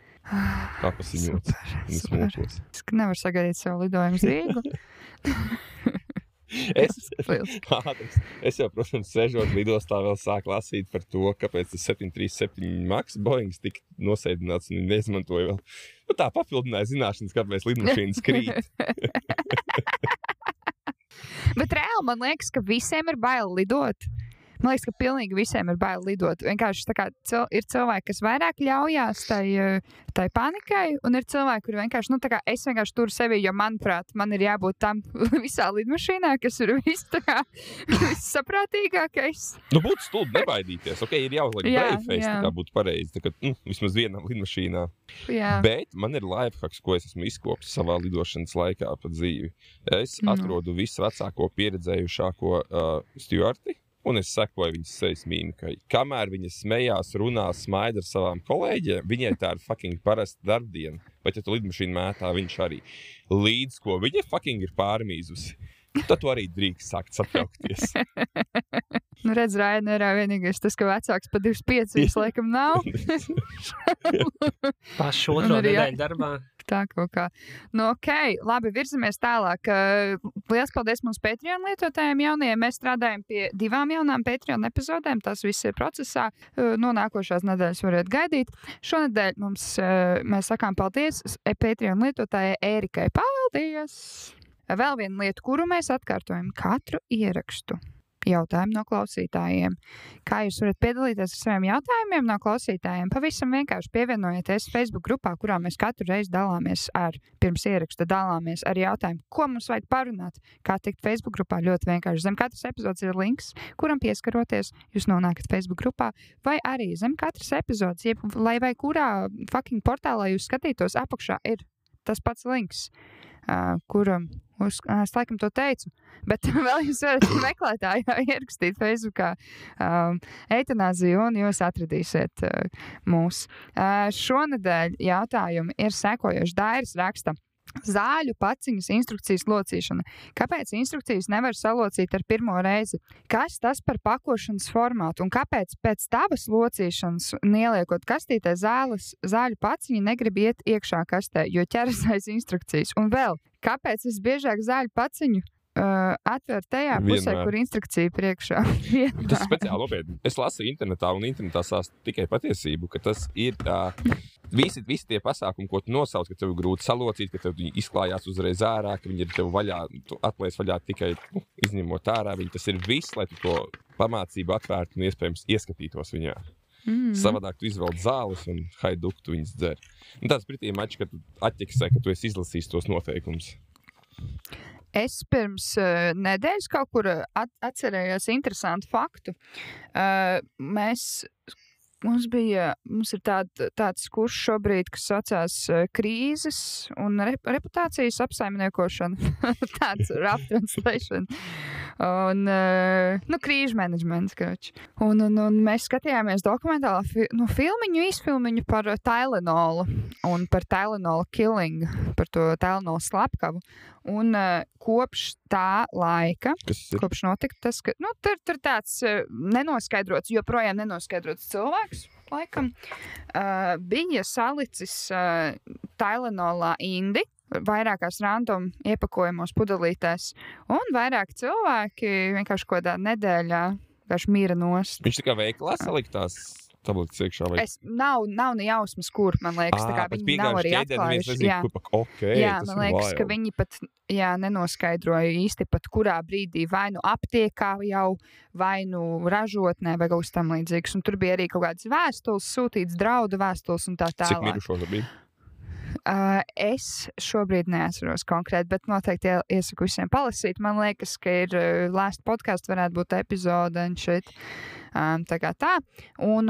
Tā pasiņots un smūkos. Es nevaru sagaidīt savu lidojumu uz Rīgu. Es jau, protams, sežot lidostā vēl sāku lasīt par to, kāpēc tas 737 Max Boeings tika nosēdināts un neizmantoja vēl. Nu, tā papildināja zināšanas, kāpēc lidmašīnas krīt. Bet reāli man liekas, ka visiem ir bail lidot. Man liekas, ka pilnīgi visiem ir bail lidot. Vienkārši tā kā ir cilvēki, kas vairāk ļaujās tai panikai, un ir cilvēki, kuri vienkārši, nu tā kā es vienkārši turu sevi, jo, manuprāt, man ir jābūt tam visā lidmašīnā, kas ir vissaprātīgākais. Nu, būtu stulbi nebaidīties. Ok, ir jāuzliek brave face, tā kā būtu pareizi. Tā kā, vismaz vienam lidmašīnā. Jā. Bet man ir lifehacks, ko es esmu izkopis savā lidošanas laikā pa dzīvi. Es atrodu visu vecāko pieredzējušāko stjuarti. Un es sekoju viņas sejas mīmikai. Kamēr viņa smējās, runā, smaida ar savām kolēģiem, viņai tā ir fucking parasta darbdiena. Bet, ja tu lidmašīnu mētā, viņš arī līdz ko viņa fucking ir pārmīzusi. Tad tu arī drīkst sākt satraukties. Nu, redz, Rainerā vienīgais tas, ka vecāks pa 25 laikam nav. Pašu otro nedēļu darbā. Tā kaut kā. Nu, ok, labi, virzamies tālāk. Liels paldies mums Patreon lietotājiem jaunajiem. Mēs strādājam pie 2 jaunām Patreon epizodēm. Tas viss ir procesā. No nākošās nedēļas variet gaidīt. Šonedēļ mēs sakām paldies Patreon lietotājai Ērikai. Paldies! Vēl viena lieta, kuru mēs atkārtojam katru ierakstu. Jautājumu no klausītājiem. Kā jūs varat piedalīties ar saviem jautājumiem no klausītājiem? Pavisam vienkārši pievienojieties Facebook grupā, kurā mēs katru reizi pirms ieraksta dalāmies ar jautājumu, ko mums vajag parunāt. Kā tikt Facebook grupā? Ļoti vienkārši. Zem katras epizodes ir links, kuram pieskaroties, jūs nonākat Facebook grupā, vai arī zem katras epizodes, lai vai kurā fucking portālā jūs skatītos, apakšā ir tas pats links, kuram es laikam to teicu, bet vēl jūs varat meklētājā ierakstīt Facebookā eitanāziju un jūs atradīsiet mūs. Šonedēļ jautājumi ir sekojoši. Dairis raksta: zāļu paciņas instrukcijas locīšana. Kāpēc instrukcijas nevar salocīt ar pirmo reizi? Kas tas par pakošanas formātu? Un kāpēc pēc tavas locīšanas, ieliekot kastītē zāļu paciņu, negrib iet iekšā kastē, jo ķeras aiz instrukcijas? Un vēl, kāpēc es biežāk zāļu paciņu atver tajā pusē, kur instrukcija priekšā? Tas ir speciāli nopietni. Es lasu internetā, un internetā sāst tikai patiesību, ka tas ir visi tie pasākumi, ko tu nosauc, ka tev ir grūti salocīt, ka tev izklājās uzreiz ārā, ka viņi ir tev vaļā, tu atliec vaļā tikai izņemot ārā. Tas ir viss, lai tu to pamācību atvērtu un iespējams ieskatītos viņā. Savādāk tu izvelc zāles un haiduk tu viņas dzer. Un tāds pretī mačs, ka tu atķeksē, ka tu esi izlasījis tos noteikumus. Es pirms nedēļas kaut kur atcerējos interesantu faktu. Mums ir tāds kurs šobrīd, kas saucās krīzes un reputācijas apsaimniekošana. Tāds rough translation. Un, krīžu menedžments, kroči. Un mēs skatījāmies dokumentālu īsfilmiņu par Tylenolu un par Tylenolu killing, par to Tylenolu slepkavu. Un kopš tā laika, kopš notika tas, ka tur tāds nenoskaidrots, joprojām nenoskaidrots cilvēks, laikam, bija salicis Tylenolā indi, vairākās random iepakojumos pudelītēs, un vairāk cilvēki vienkārši kādā nedēļā vienkārši mīra nost. Viņš tā kā veiklā saliktās tabletes iekšā? Vai? Nav ne jausmas, kur, man liekas, tā kā viņi nav arī atklājuši. Jā, man liekas, ka viņi pat nenoskaidroja īsti pat kurā brīdī vai nu aptiekā jau, vai nu ražotnē vai kaut kas tam līdzīgs. Un tur bija arī kaut kādas vēstules, sūtīts draudu vēstules un tā tālāk. Cik mirušo bija? Es šobrīd neatceros konkrēti, bet noteikti iesaku visiem palasīt. Man liekas, ka ir last podcast varētu būt epizode un šeit. Tā kā tā. Un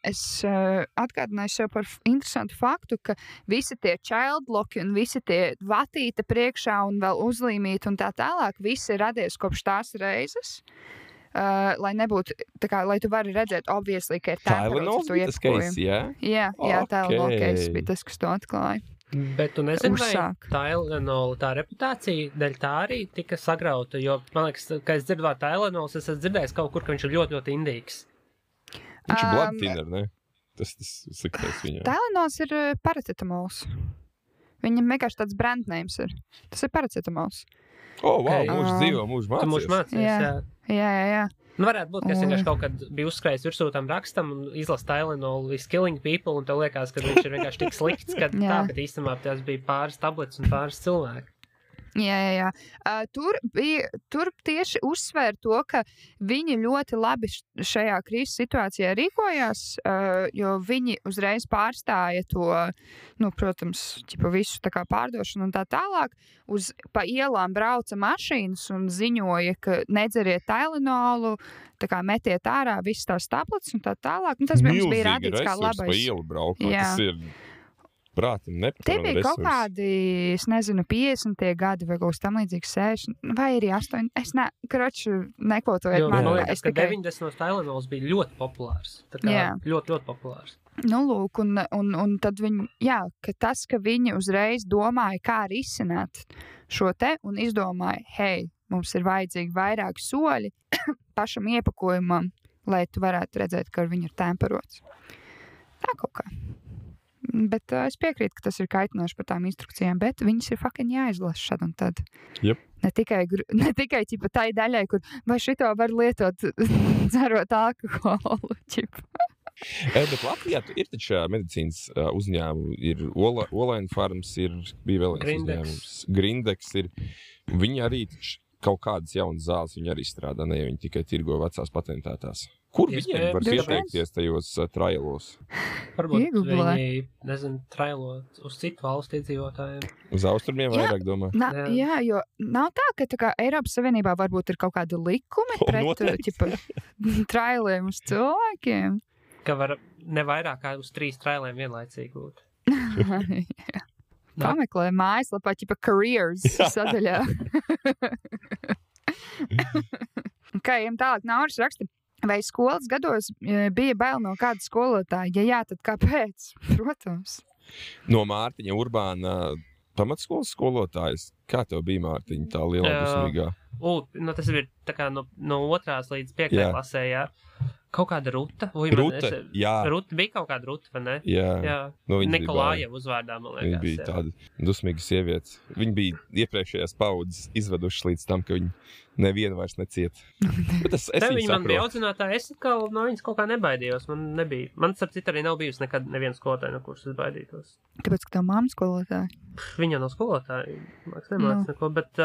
es atgādināju sev par interesantu faktu, ka visi tie childlocki un visi tie vatīte priekšā un vēl uzlīmīti un tā tālāk, visi ir radies kopš tās reizes. Lai nebūtu, tā kā, lai tu vari redzēt, obviously, ka ir Tylenol bija tas case, jā? Jā, Tylenol case bija tas, kas to atklāja. Bet tu nezini, vai Tylenol tā reputācija dēļ tā arī tika sagrauta, jo, man liekas, ka es dzirdu vārdu Tylenols, es esmu dzirdējis kaut kur, ka viņš ir ļoti, ļoti indīgs. Viņš ir blood thinner, ne? Tas sliktais viņam. Tylenols ir paratetamols. Viņam vienkārši tāds brandnames ir. Tas ir paracetamols. Wow, mūžs dzīvo, mūžs mācies. Tu mūžs mācies, Jā. Nu, varētu būt, ka es vienkārši kaut kad biju uzskrējis virsū tam rakstam un izlasu Tylenol is killing people, un tev liekas, ka viņš ir vienkārši tik slikts, ka tā, bet īstenībā tās bija pāris tablets un pāris cilvēki. Jā. Tur tieši uzsver to, ka viņi ļoti labi šajā krīzes situācijā rīkojās, jo viņi uzreiz pārstāja to, protams, visu tā kā pārdošanu un tā tālāk. Pa ielām brauca mašīnas un ziņoja, ka nedzeriet Tylenolu, tā kā metiet ārā visas tās tablets un tā tālāk. Tas mums bija rādīts kā labais. Pa ielu braukot, tas ir... Prāti, Tie bija kaut kādi, es nezinu, 50. gadi vai kaut kas tam līdzīgs 60, vai arī 8. Es nekvotoju. Man liekas, ka 90. Tylenols bija ļoti populārs. Tā kā ļoti populārs. Nu, lūk, un tad viņi, ka tas, ka viņi uzreiz domāja, kā risināt šo te, un izdomāja, hei, mums ir vajadzīgi vairāki soļi pašam iepakojumam, lai tu varētu redzēt, ka viņi ir temperots. Tā kaut kā. Bet es piekrītu, ka tas ir kaitinoši par tām instrukcijām, bet viņas ir fucking jāizlasa šad un tad. Yep. Ne tikai ķipa tai daļai, kur vai šito var lietot dzerot alkoholu, ķipa. Bet Latvijā ir taču medicīnas uzņēmumi, ir Olaina Farms, bija vēl viens uzņēmums, Grindex ir, viņi arī kaut kādas jaunas zāles, viņi arī strādā, ne, viņi tikai tirgo vecās patentētās. Kur viņiem var pieteikties tajos trialos? Varbūt viņi, trialo uz citu valstu iedzīvotājiem. Uz austrumiem vairāk domā? Jā, jo nav tā, ka Eiropas Savienībā varbūt ir kaut kādi likumi pret trialiem uz cilvēkiem. Ka var ne vairāk kā uz 3 trialiem vienlaicīgi būt. Pameklē mājaslapā, careers sadaļā. Ejam tālāk, Nauris raksta. Vai skolas gados bija bail no kāda skolotāja? Ja jā, tad kāpēc? Protams. No Mārtiņa Urbāna pamatskolas skolotājs. Kā tev bija, Mārtiņa, tā lielā dusmīgā? Tas ir tā kā no 2. līdz 5. klasē, jā. Kaut kāda Ruta? Jā. Ruta bija kaut kāda Ruta, vai ne? Jā. Nikolāja uzvārdā, man liekas. Viņa bija tāda dusmīga sieviete. Viņa bija iepriekšējās paudzes izvedušas līdz tam, ka viņa nevienu vairs neciet. Bet es viņa man bija audzinātāja, es no viņas kaut kā nebaidījos. Man starp citu arī nav bijusi nekad neviena skolotāja, no kuras es baidītos. Kāpēc, ka tā mamma skolotāja? Viņa nav skolotāja, māks nemāc neko, bet...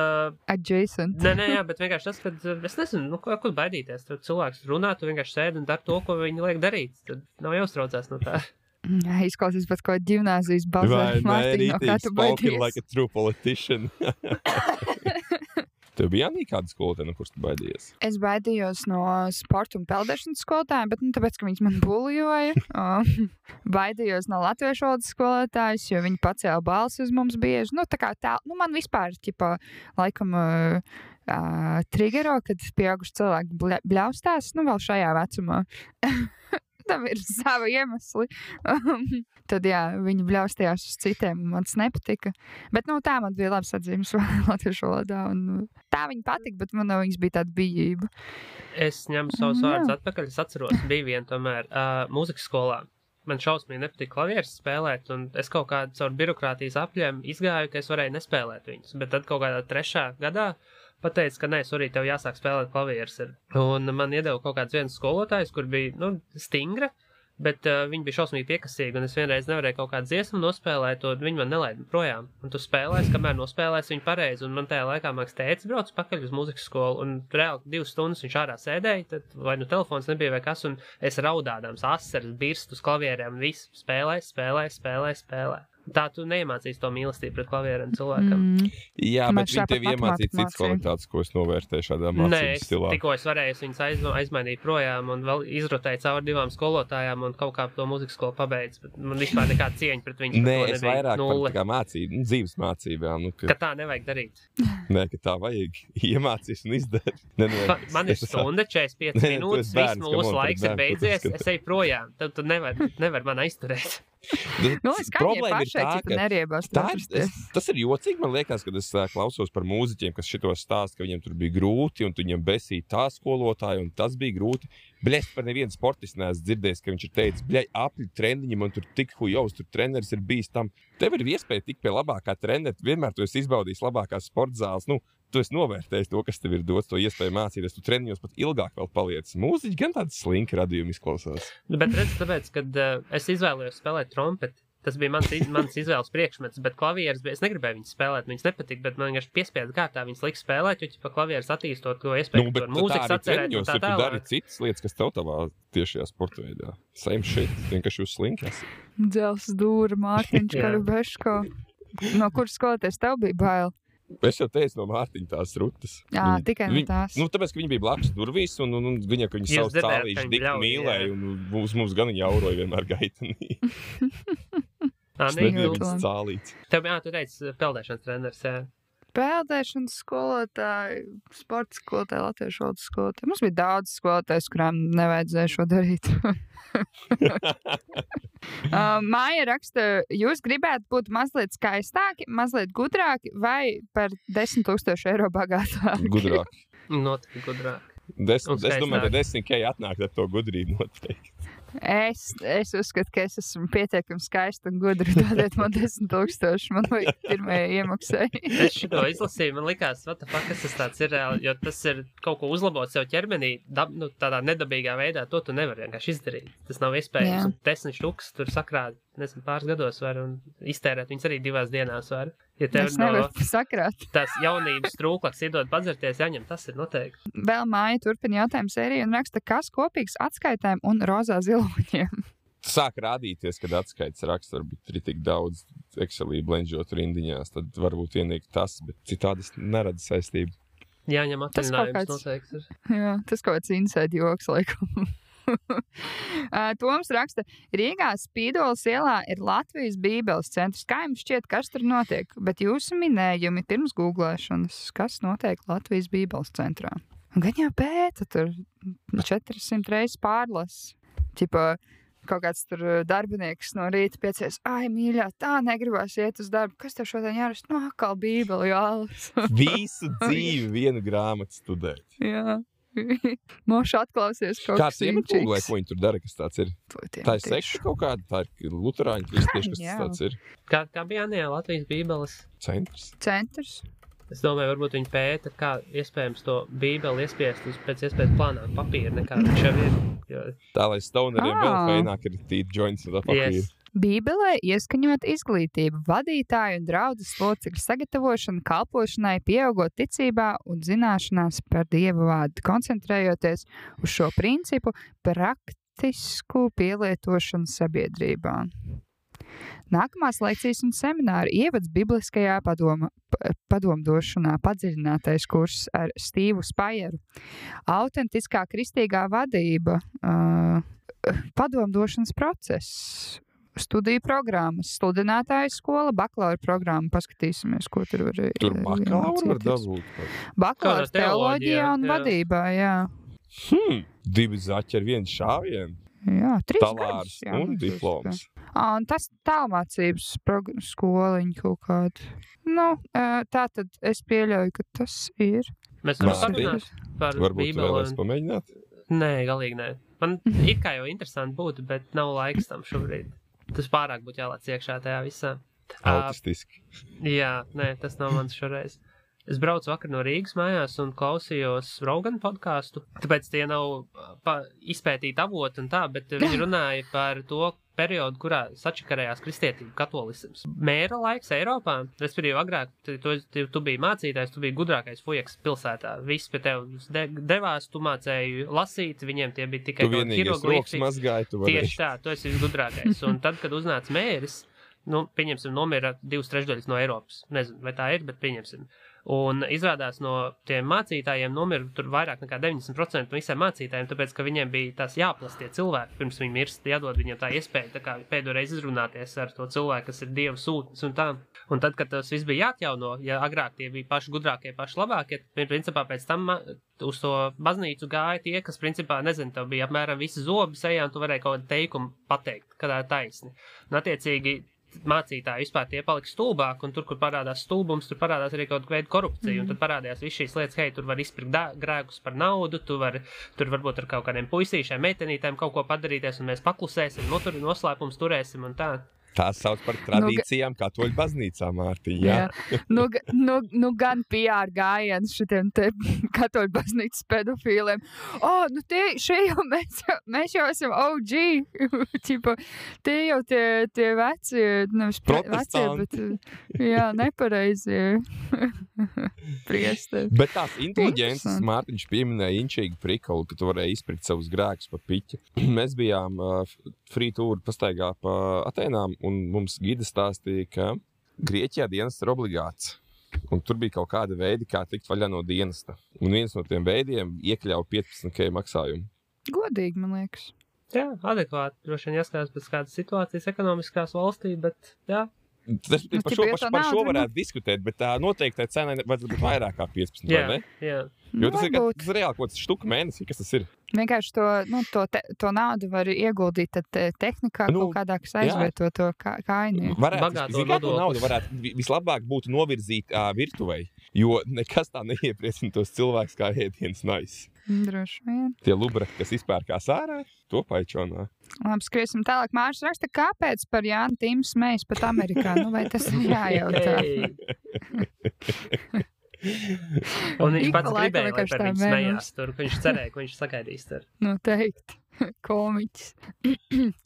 Adjacent. Nē, bet vienkārši tas, kad es nezinu, ko baidīties. Tad cilvēks runā, tu vienkārši sēdi un dar to, ko viņi liek darīt. Tad nav jāuztraucās no tā. Jā, izklausīs pēc kaut ģimnāzijas bazē. Vai nē, spoken like a true politician. Tev bija Jānī kāda skolotāja, no kuras tu baidījies? Es baidījos no sporta un peldēšanas skolotājiem, bet tāpēc, ka viņas man bulijoja. Baidījos no latviešu valodas skolotājas, jo viņi pacēla balsi uz mums bieži. Man vispār, laikam, trigero, kad pieauguši cilvēki bļaustās, vēl šajā vecumā. Tam ir savi iemesli. Tad, viņi bļaustījās uz citiem, un man tas nepatika. Bet, tā man bija labs atzīmes latviešu valodā, un tā viņa patika, bet man viņas bija tāda bijība. Es ņemu savus vārdus atpakaļ, es atceros, bija viena tomēr mūzikas skolā. Man šausmīgi nepatika klavieres spēlēt, un es kaut kādu caur birokrātijas apļiem izgāju, ka es varēju nespēlēt viņus. Bet tad kaut kādā 3. gadā pateica, ka nē, sorry, tev jāsāk spēlēt klavieres. Un man iedeva kaut kāds viens skolotājs, kur bija, stingra, bet viņi bija šausmīgi piekasīgi, un es vienreiz nevarēju kaut kādu dziesmu nospēlēt, un viņi man nelaida projām. Un tu spēlēsi, kamēr nospēlēsi viņu pareizi, un man tajā laikā māks tētis brauc pakaļ uz muzikas skolu, un reāli 2 stundas viņš ārā sēdēja, tad vai telefons nebija vai kas, un es raudādams asaras birst uz klavierēm, un visu spēlē. Tā tu neiemācīsi to mīlestību pret klavierēm cilvēkam. Jā, bet viņi tev iemācīja citas kvalitātes, ko es novērtēju šādā mācības stilā. Tikko es varēju viņus aizmainīt projām un vēl izrotēju cauri 2 skolotājām un kaut kā to mūzikas skolu pabeidz. Bet man vispār nekāda cieņa pret viņu. Nē, es vairāk par kā mācību, dzīves mācībām. Ka tā nevajag darīt. Nē, ka tā vajag iemācīs un izdarīt. Man ir stunda, 45 minūtes, viss mūsu laiks ir beidzies, es eju projām. Tad tu nevar man aizturēt. Problēma ir tā, ka neriebās. Tas ir jocīgi, man liekas, kad es klausos par mūziķiem, kas šitos stāst, ka viņiem tur bija grūti, un viņiem besīja tā skolotāja, un tas bija grūti. Bļaļ, par nevienu sportistu neesmu dzirdējis, ka viņš ir teicis, bļaļ, apļu treniņi, man tur tik hujovs, tur treneris ir bijis tam. Tev ir iespēja tikt pie labākā trenera, vienmēr tu esi izbaudījis labākās sporta zāles, tu esi novērtējis to, kas tev ir dots, to iespēju mācīties, tu treniņos pat ilgāk vēl paliec. Mūziķi gan tādi slinki radījumi izklausās. Bet redz, tāpēc, kad es izvēlējos spēlēt trompeti, tas bija mans izvēles priekšmets, bet klavieres bija, es negribēju viņas spēlēt, viņas nepatika, bet man vienkārši piespiedu kārtā viņas liks spēlēt, jo pa klavieres attīstot to iespēju, to mūzikas atcerēt un tā tālāk. Tu dari citas lietas, kas tev tavā tiešajā sporta veidā. Same shit, vienkārši jūs slinkas. Dzels dūra, Mārtiņš Karabeško. No kuras skoloties tev bija bail? Es jau teicu no Mārtiņa tās rutas. Jā, tikai no tās. Tāpēc, ka viņi bija blakus durvīs, un viņa, ka viņi savus cālīši dik mīlēja, un mums gan viņa auroja vienmēr gaitanī. Es nebiju viņas cālīts. Tev, tu teici, peldēšanas treneris, jā. Peldēšanas skolotāji, sporta skolotāji, latviešu valodas skolotāji. Mums bija daudz skolotājs, kurām nevajadzēja šo darīt. Māja raksta, jūs gribētu būt mazliet skaistāki, mazliet gudrāki vai par 10 000 eiro bagātāki? Gudrāki. Noteikti gudrāki. Es domāju, ka 10K atnāk ar to gudrību noteikti. Es uzskatu, ka es esmu pietiekami skaista un gudra. Dodiet man 10 000, man vajag pirmajai iemaksai. Es šito izlasīju, man likās, what the fuck, kas tas tāds ir, jo tas ir kaut ko uzlabot sev ķermenī, tādā nedabīgā veidā, to tu nevar vienkārši izdarīt. Tas nav iespējams. 10 štukas tur sakrāt, nezinu, pāris gados var un iztērēt viņas arī 2 dienās var. Ja tev tās jaunības trūklaks iedod padzerties, jāņem, tas ir noteikti. Vēl Māja turpina jautājumu sēriju un raksta, kas kopīgs atskaitēm un rozā ziloņiem? Sāk rādīties, kad atskaites raksts varbūt ir tik daudz Excelī blenžot rindiņās, tad varbūt ienīk tas, bet citādi es neredzu saistību. Jāņem atvaļinājums noteikti. Jā, tas kaut kāds inside joks, laikam. Toms raksta, Rīgā Spīdolas ielā ir Latvijas Bībeles centrs. Kā jums šķiet, kas tur notiek? Bet jūsu minējumi pirms googlēšanas, kas notiek Latvijas Bībeles centrā? Gan jau pēta tur 400 reizes pārlas. Ķipa, kaut kāds tur darbinieks no rīta piecies, ai, mīļā, tā negribās iet uz darbu. Kas tev šodien jārast? No, atkal Bībeli jālas. Visu dzīvi vienu grāmatu studēt. Jā. Moši atklausies kaut kas īņķīgs. Kāds vai ko viņi tur dara, kas tāds ir? Tā ir sekta kaut kāda, tā ir luterāņu kristieši, kas tas tāds ir. Kā bija Jānijā Latvijas Bībeles? Centrs. Es domāju, varbūt viņi pēta, kā iespējams to Bībeli iespiest uz pēc iespējas plānāk papīra, nekā viņš jau ir. Jo... Tā, lai stoneriem vēl feināk ir tīt joints no papīra. Yes. Bībelē ieskaņot izglītību, vadītāju un draudzes locekļu sagatavošanu kalpošanai, pieaugot ticībā un zināšanās par Dieva vārdu, koncentrējoties uz šo principu praktisku pielietošanu sabiedrībā. Nākamās lekcijas un semināri ievads bibliskajā padomdošanā padziļinātais kurs ar Stīvu Spajeru. Autentiskā kristīgā vadība, padomdošanas process. Studiju programmas, sludinātāja skola, bakalaura programma. Paskatīsimies, ko tur var iemācīties. Tur bakalaura var dabūt? Bakalaura teoloģijā un vadībā, jā. 2 zaķi ar 1 šāvienu? Jā, 3 talārs un diploms. Un tas tālmācības skoliņa kaut kāda. Nu, tā tad es pieļauju, ka tas ir. Mēs varam parunāt par Varbūt Bībeli. Varbūt vēlēs pamēģināt? Nē, galīgi nē. Man it kā jau interesanti būtu, bet nav laiks tam šobrīd. Tas pārāk būtu jālāc iekšā tajā visā. Autistiski. Jā, nē, tas nav mans šoreiz. Es braucu vakar no Rīgas mājās un klausījos Rogan podcastu, tāpēc tie nav izpētīti avoti un tā, bet viņi runāja par to periodu, kurā sačakarējās kristietība, katolisms. Mēra laiks Eiropā, respektīvi agrāk, tu biji mācītājs, tu biji gudrākais fujeks pilsētā. Viss pie tev devās, tu mācēji lasīt, viņiem tie bija tikai hieroglifi. Tieši tā, tu esi visgudrākais. Un tad, kad uznāca mēris, pieņemsim, nomira 2/3 no Eiropas. Nezinu, vai tā ir, bet pieņemsim. Un izrādās no tiem mācītājiem nomira tur vairāk nekā 90% no visiem mācītājiem, tāpēc, ka viņiem bija tās jāplast tie cilvēki, pirms viņi mirst, jādod viņiem tā iespēja tā kā pēdējo reizi izrunāties ar to cilvēku, kas ir Dieva sūtnis un tā. Un tad, kad tas viss bija jāatjauno, ja agrāk tie bija paši gudrākie, paši labākie, tad, principā, pēc tam uz to baznīcu gāja tie, kas, principā, nezinu, tev bija apmēram visi zobi sejā, un tu varēji kaut kādu teikumu pateikt, kad tā ir taisni. Un, attiecīgi, mācītāji vispār tie palika stulbāk, un tur, kur parādās stulbums, tur parādās arī kaut kāda veida korupcija, un tad parādījās viss šīs lietas, hei, tur var izpirkt grēkus par naudu, tur varbūt ar kaut kādiem puisīšiem, meitenītēm kaut ko padarīties, un mēs paklusēsim, tur noslēpums turēsim un tā. Tās sauc par tradīcijām katoļu baznīcā, Mārtiņ, jā. Nu gan PR gājiens šitiem te katoļu baznīcas pedofīliem. Šie jau mēs jau esam OG. Čipa, tie jau tie vecie, nevis vecie, bet nepareizie priesteri. Bet tās inteliģences, Mārtiņš pieminēja inčīgi prikolu, ka tu varēji izpirkt savus grēkus pa piķi. Mēs bijām free tour pastaigā pa Atēnām, un mums gida stāstīja, ka Grieķijā dienests ir obligāts. Un tur bija kaut kāda veidi, kā tikt vaļā no dienesta. Un viens no tiem veidiem iekļauj 15K maksājumu. Godīgi, man liekas. Jā, adekvāti. Droši vien jāskatās pēc kādas situācijas ekonomiskās valstī, bet jā. Par šo varētu diskutēt, bet tā noteikti cena vajadzētu būt vairāk kā 15, vai ne? Jā. Jo tas ir reāli kaut kāds štuka mēnesī, kas tas ir. Vienkārši to naudu var ieguldīt tehnikā kaut kādā, kas aizvieto to kaini. To naudu varētu vislabāk būtu novirzīt virtuvei, jo nekas tā neiepriecina tos cilvēkus kā ēdienas nice. Droši vien. Tie lubraki, kas izpērkās ārā, to paičonā. Labi, skriesim tālāk. Mārs raksta, kāpēc par Jānu Tīmu smejas pat Amerikā? Vai tas ir jājautā? Un viņš pats gribēja, lai par viņu smējās tur, ka viņš cerēja, ka viņš sagaidīs tur. Noteikti. Komiķis.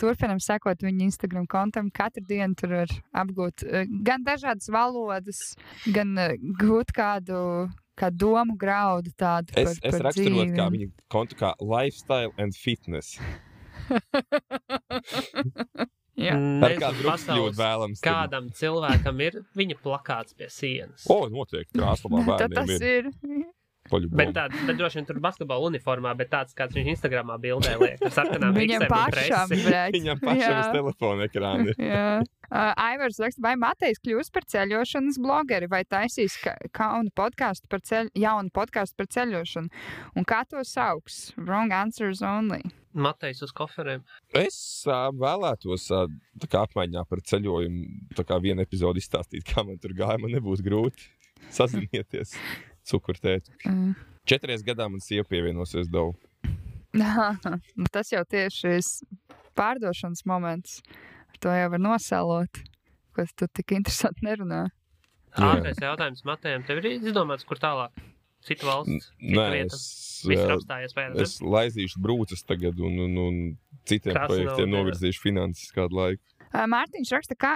Turpinam sekot viņa Instagram kontam. Katru dienu tur var apgūt gan dažādas valodas, gan gūt kādu domu graudu tādu par dzīvi. Es raksturot kā viņa kontu kā lifestyle and fitness. Pasaules, kādam cilvēkam ir viņa plakāts pie sienas. Noteikti, krāslabā bērniem ir. Bet droši vien tur basketbola uniformā, bet tāds, kāds viņš Instagramā bildē liek, ar sarkanām Viņam pašam, Viņam pašam uz telefona ekrāna. Aivars raksta, vai Matejs kļūs par ceļošanas blogeri, vai taisīs jaunu podcastu par ceļošanu? Un kā to sauks? Wrong answers only. Matejs uz koferiem. Es vēlētos tā kā apmaiņā par ceļojumu, tā kā vienu epizodu izstāstīt, kā man tur gāja, man nebūs grūti sazinieties. Cukurtēt. 4 gadā man sieva pievienosies Dovu. Tas jau tieši pārdošanas moments. To jau var nosēlot, ko tu tik interesanti nerunā. Ātrais jautājums Matejam. Tev ir izdomāts, kur tālāk? Citu valsts? Es laizīšu brūces tagad un citiem projektiem novirzīšu finanses kādu laiku. Mārtiņš raksta, kā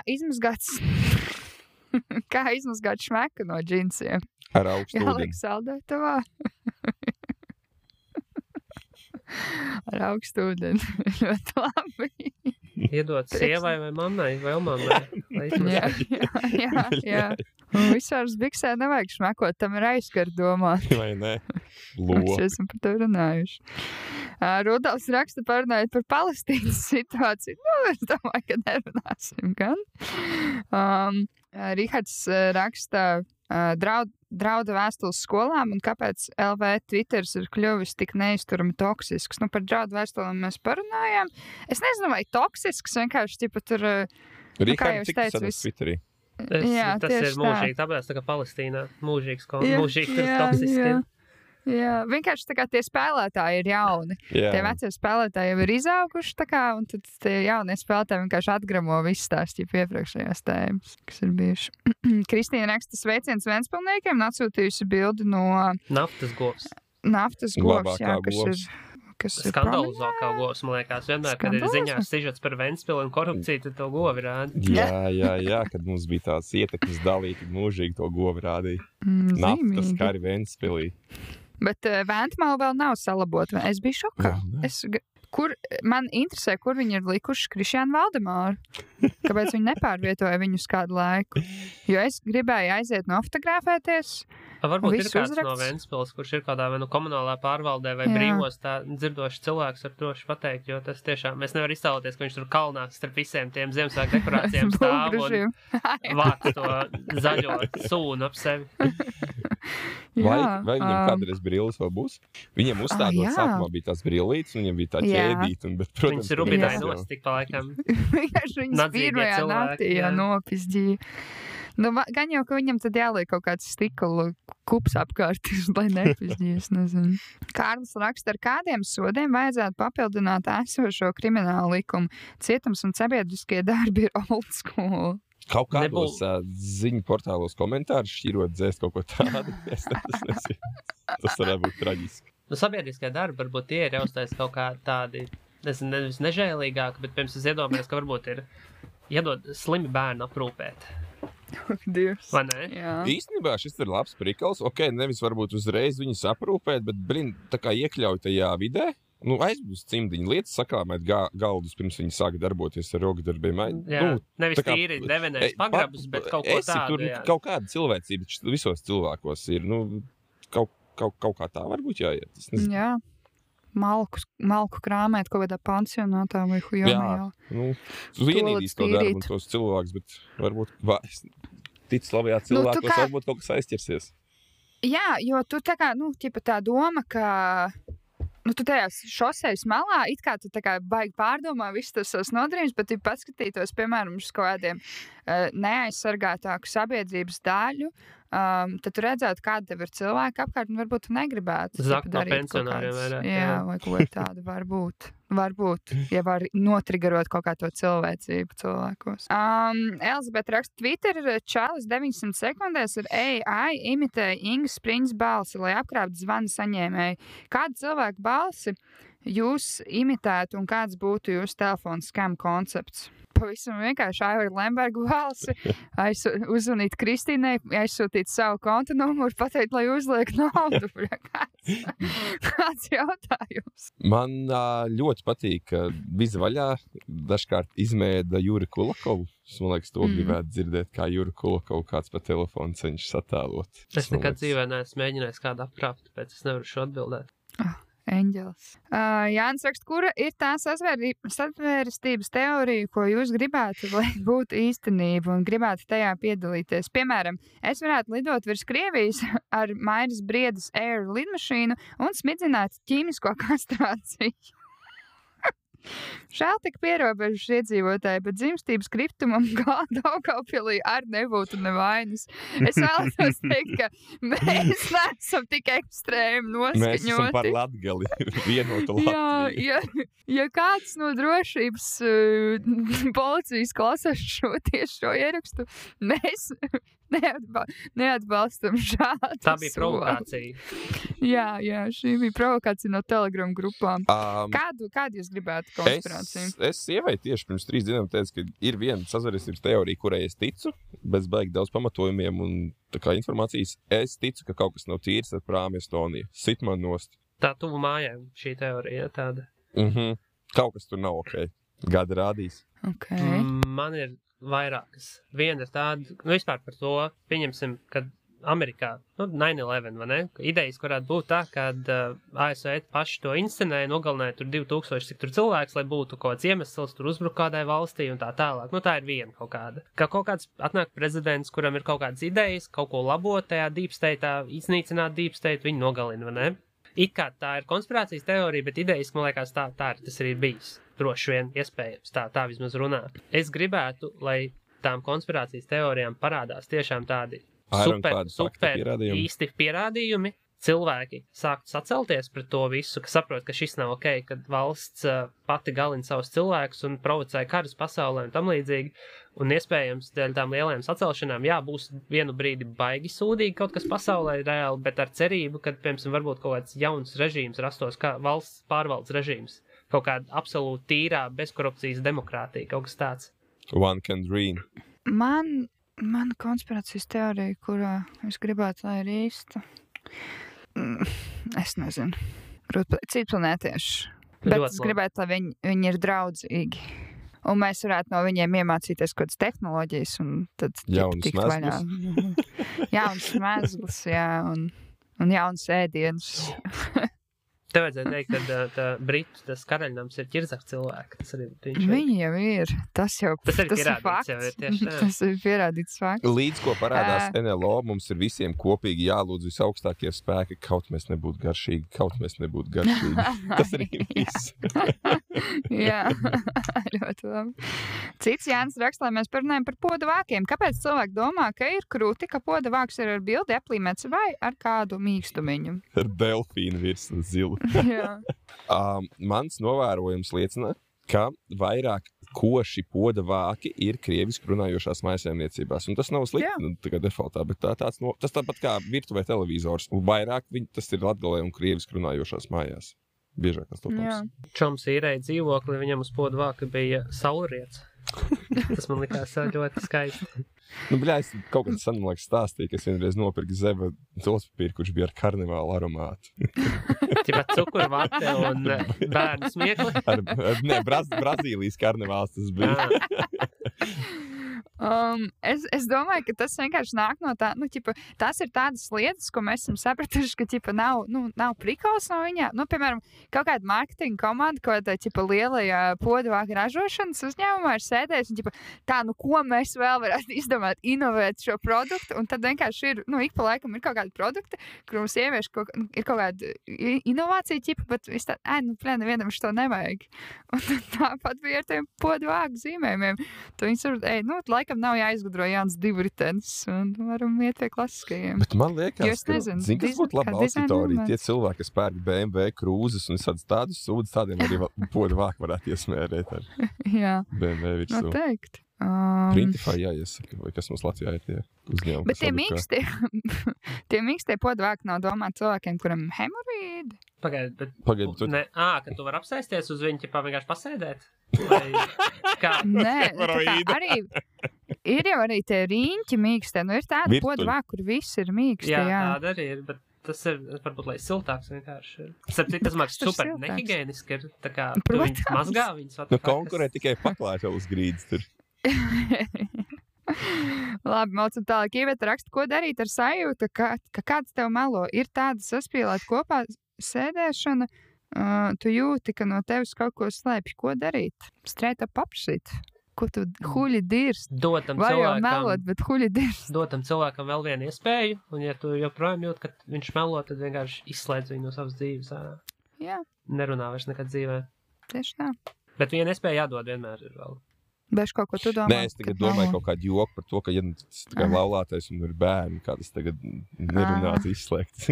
izmazgāt šmeku no džinsiem. Ar augstu ūdeni. Jāliek saldētavā. Ar augstu ūdeni. Ļoti labi. Iedot sievai vai mammai vai mammai. Jā. Visāras biksē nevajag šmekot, tam ir aizskar domāt. Vai ne? Mēs esam par to runājuši. Rudolfs raksta parunājot par Palestīnas situāciju. Es domāju, ka nerunāsim gan. Rihards raksta drauda vēstules skolām un kāpēc LV Twitters ir kļuvis tik neizturami toksisks. Par draudu vēstulēm mēs parunājām. Es nezinu, vai toksisks, vienkārši tur... Rihards, cik tas ir Twitterī? Tas ir mūžīgi, tāpēc tā kā Palestīnā. Mūžīgi toksiski. Jā, vienkārši tā kā tie spēlētāji ir jauni. Jā. Tie vecie spēlētāji jau ir izauguši, un tad tie jaunie spēlētāji vienkārši atgramo visu stāstību iepriekšējās tēmas, kas ir bijuši. Kristīna raksta sveiciens Ventspilniekiem, atsūtījusi bildi no... Naftas govs. Jā, kas ir skandalizākā govs, man liekas. Vienmēr, kad ir ziņās sižets par Ventspilu un korupciju, tad to govi rāda. Jā, kad mums bija tāds ietekmes dalī, tad mūžīgi to govi rādīja. Naftas kari Ventspilī. Bet Ventmala vēl nav salabota. Es biju šokā. Man interesē, kur viņi ir likuši Krišjānu Valdemāru. Kāpēc viņi nepārvietoja viņu uz kādu laiku? Jo es gribēju aiziet nofotografēties, Varbūt ir viss kāds uzraksts. no Ventspils, kurš ir kādā vai nu komunālā pārvaldē vai Jā. brīvos tā dzirdošs cilvēks var droši pateikt, jo tas tiešām, mēs nevar iztēloties, ka viņš tur kalnā starp visiem tiem Ziemassvētku dekorācijām stāv un vāc to zaļo sūnu ap sevi. Vai viņam kādreiz brilles vēl būs? Viņam uzstādot sākumā bija tās brillītes, un viņam bija tā ķēdīte, bet, protams, viņas rubidāja nost tik pa laikam. Vienkārši viņas pirmajā naktī nopizdīja. Nu, gan jau, ka viņam tad jāliek kaut kāds stikla kups apkārt, lai nepizdījies, nezinu. Kārlis raksta, ar kādiem sodiem vajadzētu papildināt esošo kriminālu likumu. Cietums un sabiedriskie darbi ir old school. Kaut kādos ziņu portālos komentārus šķirot dzēst kaut ko tādu. Es nezinu. Tas varētu būt traģiski. Nu, sabiedriskie darbi varbūt tie ir jāuztais kaut kā tādi, nezinu, nevis nežēlīgāki, bet, pirms es iedomājos, ka varbūt ir jādod slimi bērnu aprūpēt. Dievs. Vai ne? Jā. Īstenībā šis ir labs prikals. Ok, nevis varbūt uzreiz viņus aprūpēt, bet, tā kā iekļaut tajā vidē. Nu, aizbūst cimdiņu lietas, sakrāmēt galdus, pirms viņi sāk darboties ar rokdarbiem. Jā, nevis tīri devenēs pagrabus, bet kaut ko tādu. Tur kaut kāda cilvēcība visos cilvēkos ir. Nu, kaut kā tā varbūt jāiet. Jā. Malku krāmēt kaut kādā pansionātā vai hujomā. Nu, tu vienīdīs to darbu un tos cilvēkus, bet varbūt tic labajā cilvēkos, varbūt kaut kas aizķersies. Jā, jo tu tā kā, tā doma, ka tu tajās šosejas malā, it kā tu tā kā baigi pārdomā visus tos nodarījumus, bet tu paskatītos, piemēram, uz kaut kādiem neaizsargātāku sabiedrības daļu, tad tu redzētu, kāda tev ir cilvēki apkārt, un varbūt tu negribētu zakt no pensionāriem vairāk. Jā, vai kaut tāda varbūt, ja var notrigarot kaut kā to cilvēcību cilvēkos. Elizabete raksta Twitter, čalis 900 sekundēs ar AI imitēja Ingas Spriņas balsi, lai apkrāptu zvanu saņēmēju. Kādu cilvēku balsi jūs imitētu un kāds būtu jūsu telefona skam koncepts? Pavisam vienkārši Aivara Lemberga balsi, uzzvanīt Kristīnai, aizsūtīt savu konta numuru, pateikt, lai uzliek naudu. Kāds jautājums? Man ļoti patīk, ka viza vaļā dažkārt izmēda Juri Kulakovu. Man liekas, to gribētu dzirdēt, kā Juri Kulakovu kāds pa telefonu cenšas attēlot. Es nekad dzīvē neesmu mēģinājis kādu apkrāpt, tāpēc es nevaru šo atbildēt. Eņģelis. Jānis raksta, kura ir tā sazvērestības teorija, ko jūs gribētu, lai būtu īstenība un gribētu tajā piedalīties? Piemēram, es varētu lidot virs Krievijas ar Mairas Briedas Air lidmašīnu un smidzināt ķīmisko kastrāciju. Žēl tik pierobežas iedzīvotāji, bet dzimstības kritumam Daugavpilī arī nebūtu nevainas. Es vēlētos teikt, ka mēs neesam tik ekstrēmi noskaņoti. Mēs esam par Latgali, vienotu Latviju. Ja kāds no drošības policijas klasās šo ierakstu, mēs neatbalstam šādu. Tā bija provokācija. Jā, šī bija provokācija no Telegram grupām. Kādu jūs gribētu konspirāciju? Es sievai tieši pirms 3 dienām teicu, ka ir viena sazvērestības teorija, kurai es ticu, bez baigi daudz pamatojumiem un tā kā informācijas. Es ticu, ka kaut kas nav tīrs ar prāmi Estoniju. Sit man nost. Tā tuvu mājām šī teorija tāda. Kaut kas tur nav ok. Gada rādīs. Okay. Man ir vairākas. Viena ir tāda, vispār par to pieņemsim, kad Amerikā, 9/11, vai ne? Idejas varētu būt tā, kad ASV paši to inscenēja, nogalināja tur 2000 cik tur cilvēks, lai būtu kaut kāds iemesls, tur uzbruk kādai valstī un tā tālāk. Tā ir viena kaut kāda. Kā kaut kāds atnāk prezidents, kuram ir kaut kādas idejas, kaut ko labot tajā deep state'ā, iznīcināt deep state, viņi nogalina, vai ne? It kā tā ir konspirācijas teorija, bet idejas, man liekas, tā tas arī ir bijis. Droši vien iespējams, tā vismaz runā. Es gribētu, lai tām konspirācijas teorijām parādās tiešām tādi super īsti pierādījumi. Cilvēki sāktu sacelties pret to visu, ka saprot, ka šis nav ok, kad valsts pati galina savus cilvēkus un provocē karus pasaulē un tam līdzīgi. Un iespējams, dēļ tām lielajām sacelšanām, būs vienu brīdi baigi sūdīgi kaut kas pasaulē reāli, bet ar cerību, ka, piemēram, varbūt kaut kāds jauns režīms rastos, kā valsts pārvaldes režīms. Kaut kāda absolūti tīrā, bezkorupcijas demokrātija, kaut kas tāds. One can dream. Man konspirācijas teorija, kurā es gribētu, lai ir īsta. Es nezinu. Citi planētieši. Bet es gribētu, lai viņi ir draudzīgi. Un mēs varētu no viņiem iemācīties kaut kādas tehnoloģijas un tad tikt vaļā. Jauns mezgls, jā, un jauns ēdiens. Tev vajadzēja teikt, ka Britu tas karaļnams ir ķirzaks cilvēki. Tas arī viņi jau ir. Tas ir fakts. Tas ir pierādīts fakts. Līdz ko parādās NLO, mums ir visiem kopīgi jālūdz visaugstākie spēki, kaut mēs nebūtu garšīgi. Tas arī viss. Jā, ļoti labi. Cits Jānis raksta, lai mēs parunājam par poda vākiem. Kāpēc cilvēki domā, ka ir krūti, ka poda vāks ir ar bildi aplīmēts vai ar kādu mīkstumiņu? Ar delfīnu virs un zilu. Mans novērojums liecina, ka vairāk koši poda vāki ir krieviski runājošās mājasēmniecībās. Un tas nav slikti tā kā defaultā, bet tas tāpat kā virtuvē televizors. Un vairāk tas ir latgalē un krieviski runājošās mājās. Biežākās topams. Čoms īrēja dzīvokli, viņam uz poda vāka bija saulriets. Tas man likās ļoti skaisti. Es kaut kādā sanamlaiks stāstīju, ka es vienreiz nopirku zeva tolspapīru, kurš bija ar karnevālu aromātu. Tipā cukurvate un bērnu smiekli? Brazīlijas karnevāls tas bija. Es domāju, ka tas vienkārši nāk no tā, tās ir tādas lietas, ko mēs esam sapratuši, ka nav prikals no viņā. Piemēram, kaut kāda marketinga komanda, ko tā lielajā podvāka ražošanas uzņēmumā ir sēdējis un ko mēs vēl varētu izdomāt, inovēt šo produktu, un tad vienkārši ir, ik pa laikam ir kaut kādi produkti, kur mums ievieš ir kaut kāda inovācija, bet viss tā, nevienam šo nevajag. Un tāpat bija ar tiem podvāku zīmējumiem. Tu viņus var, laikam nav jāizgudro jauns divritenis, un varam iet pie klasiskajiem. Bet man liekas, kas būtu laba auditorija, tie cilvēki, kas pērk BMW krūzes un tādus sūdus, tādiem arī poda vāku varētu iesmērēt ar BMW virsū. Noteikti. Printify jāiesaka, vai kas mums Latvijā ir tie uzņēmumi. Bet tie mīkstie poda vāki nav domāti cilvēkiem, kuram hemorīdi. Pagaid, tu... ka tu var apsēsties uz viņu, vienkārši pasēdēt? Vai kā? Nē, arī ir jau arī tie riņķi mīkstie. Ir tāda poda vāka, kur viss ir mīkstie. Jā, tāda arī ir, bet tas ir, varbūt, lai siltāks vienkārši. Tas māks super nehigieniski ir, tā kā tu viņus mazgā, viņus atpakaļ. Konkurē tikai paklāt jau uz grīdas tur. Labi, maucam tālāk. Ievieta raksta, ko darīt ar sajūtu, ka kāds tev melo. Ir tāda saspīlēt kopā sēdēšana, tu jūti, ka no tevis kaut ko slēpj. Ko darīt? Straight up apšīt. Ko tu huļi dirst? Var jau melot, bet huļi dirst. Dotam cilvēkam vēl vienu iespēju, un ja tu joprojām jūt, ka viņš melo, tad vienkārši izslēdz viņu no savas dzīves ārā. Jā. Nerunā vairs nekad dzīvē. Tieši tā. Bet viena iespēja jādod vienmēr ir vēl. Bež kaut ko tu domā? Nē, es tagad domāju kaut kādu joku par to, ka ja tas tā kā laulātais un ir bērni, kā tas tagad nerunāts izslēgts.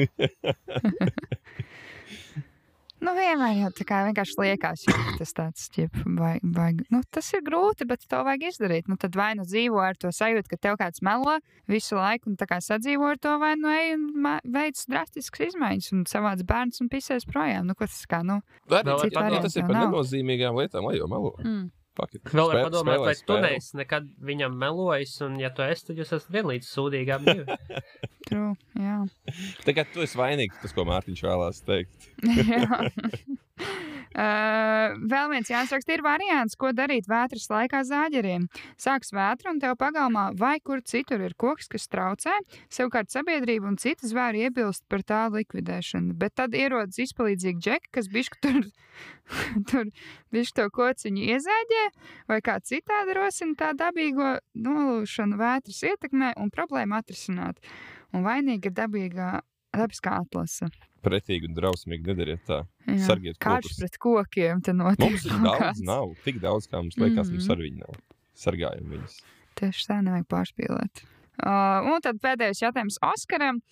Vienmēr jau tā kā vienkārši liekās, ja tas tāds vajag. Tas ir grūti, bet to vajag izdarīt. Tad vai dzīvo ar to sajūtu, ka tev kāds melo visu laiku un tā kā sadzīvo ar to, vai ej un veic drastiskas izmaiņas un savāc bērns un pisēs projām. Ko tas kā, tas ir par nenozīmīgām lietām, lai jau melo. Vēl var padomāt, vai tu neesi nekad viņam melojis, un ja tu esi, tad jūs esat vienlīdz sūdīgi ap divi. True, jā. Tagad tu esi vainīgs, tas, ko Mārtiņš vēlās teikt. Jā. Vēl viens Jānis raksta, ir variants, ko darīt vētras laikā zāģeriem. Sāks vētra un tev pagalmā vai kur citur ir koks, kas traucē, savukārt sabiedrība un citi zvēri iebilst par tā likvidēšanu. Bet tad ierodas izpalīdzīgi džeki, kas bišķi tur bišķi to kociņu iezāģē vai kā citādi rosina tā dabīgo nolūšanu vētras ietekmē un problēmu atrisināt. Un vainīga ir dabiskā atlase. Pretīgi un drausmīgi nedariet tā. Sargiet kokus. Karš pret kokiem te notiek. Mums ir daudz nav. Tik daudz, kā mums liekas, mums ar viņu nav. Sargājam viņus. Tieši tā, nevajag pārspīlēt. Un tad pēdējais jautājums Oskaram.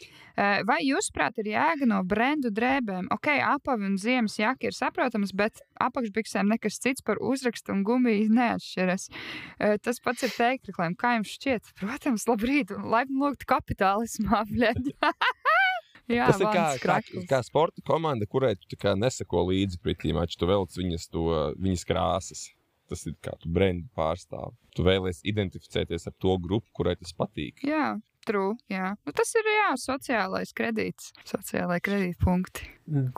Vai jūsuprāt ir jēga no brendu drēbēm? Apavi un ziemas jaka ir saprotams, bet apakšbiksēm nekas cits par uzrakstu un gumiju neatšķiras. Tas pats ir teikreklēm. Kā jums šķiet? Protams, labrīt, laipni lūgt kapitālismā, bļeļ. Jā, tas ir kā sporta komanda, kurai tu neseko līdzi pretī maču, tu velc viņas krāsas. Tas ir kā tu brendu pārstāv. Tu vēlies identificēties ar to grupu, kurai tas patīk. Jā, true, jā. Tas ir, sociālais kredīts, sociālai kredītpunkti.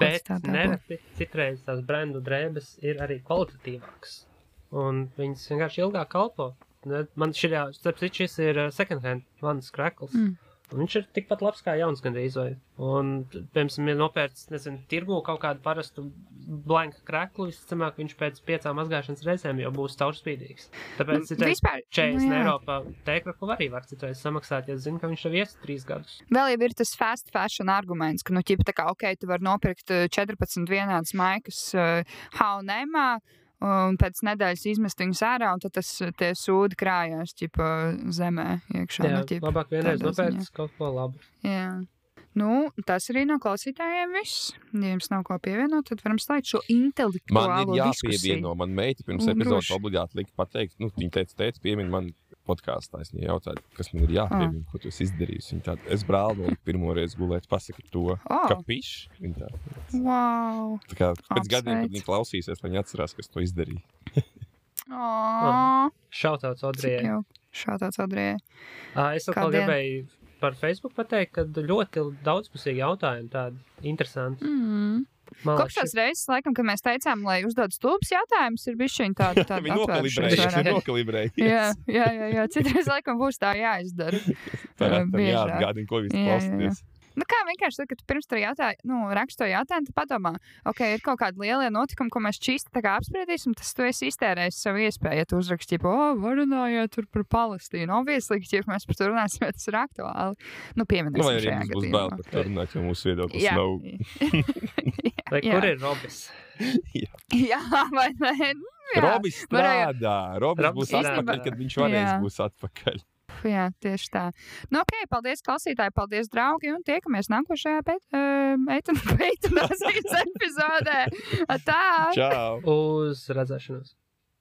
Bet nereti citreiz tās brendu drēbes ir arī kvalitatīvākas. un viņas vienkārši ilgāk kalpo. Man šis ir second hand vannas krekls. Un viņš ir tikpat labs kā jauns gandrīz vai. Un, piemēram, ir nopērts, tirgu kaut kādu parastu blanka kreklu, visticamāk, viņš pēc 5 mazgāšanas reizēm jau būs caurspīdīgs. Tāpēc vispār, 40 eiro pa tēkraklu arī var citreiz samaksāt, ja zinu, ka viņš jau ies 3 gadus. Vēl jau ir tas fast fashion arguments, ka, ķipa tā kā, tu vari nopirkt 14 vienādas maikas H&M-ā, un pēc nedēļas izmest viņus ārā, un tad tie sūdi krājās, zemē iekšā. Jā, labāk vienreiz nopērts kaut ko labu. Jā. Nu, tas arī no klausītājiem viss. Ja jums nav ko pievienot, tad varam slēgt šo intelektuālo diskusiju. Man ir jāpievieno, man meita pirms epizodes obligāti lika pateikt, viņa teica, piemini man podkāstā, es viņai jautāju, kas man ir jāpiemina, ko tu esi izdarījusi. Viņa tāda, es brāli pirmo reizi gulēt, pasaki to, ka pišs. Viņa tāda. Wow. Tā kā pēc gadiem, kad viņa klausīsies, lai viņa atcerās, kas to izdarīja. Šautauts Odrijai. Šautauts Odrijai. Es vēl gribēju par Facebook pateikt, ka ļoti daudzpusīgi jautājumi tādi interesanti. Kopš tās reizes, laikam, kad mēs teicām, lai uzdod stulbs jautājumus, ir bišķiņ tāda atvēršana. Jā. Citreiz, laikam, būs tā jāizdara. Jāatgādina, ko viss klausīties. Nu kā vienkārši, tad, kad tu pirms tur raksto jautājumu, tad padomā, ir kaut kādi lielie notikumi, ko mēs čīsti tā kā apspriedīsim, tas tu esi iztērējis savu iespēju, ja tu uzraksti, varunājiet tur par Palestīnu. Obviously, ja mēs par to runāsim, ja tas ir aktuāli. Pieminēsim šajā gadījumā. Vai arī būs bail par to runāt, jo mūsu viedoklis nav. Vai kur ir Robis? Jā, vai ne? Robis strādā. Robis būs atpakaļ, kad viņš varēs būs atpakaļ. Jā, tieši tā. Paldies, klausītāji, paldies, draugi, un tiekamies nākošajā eitanāzijas epizodē. Tā! Čau! Uz redzēšanos!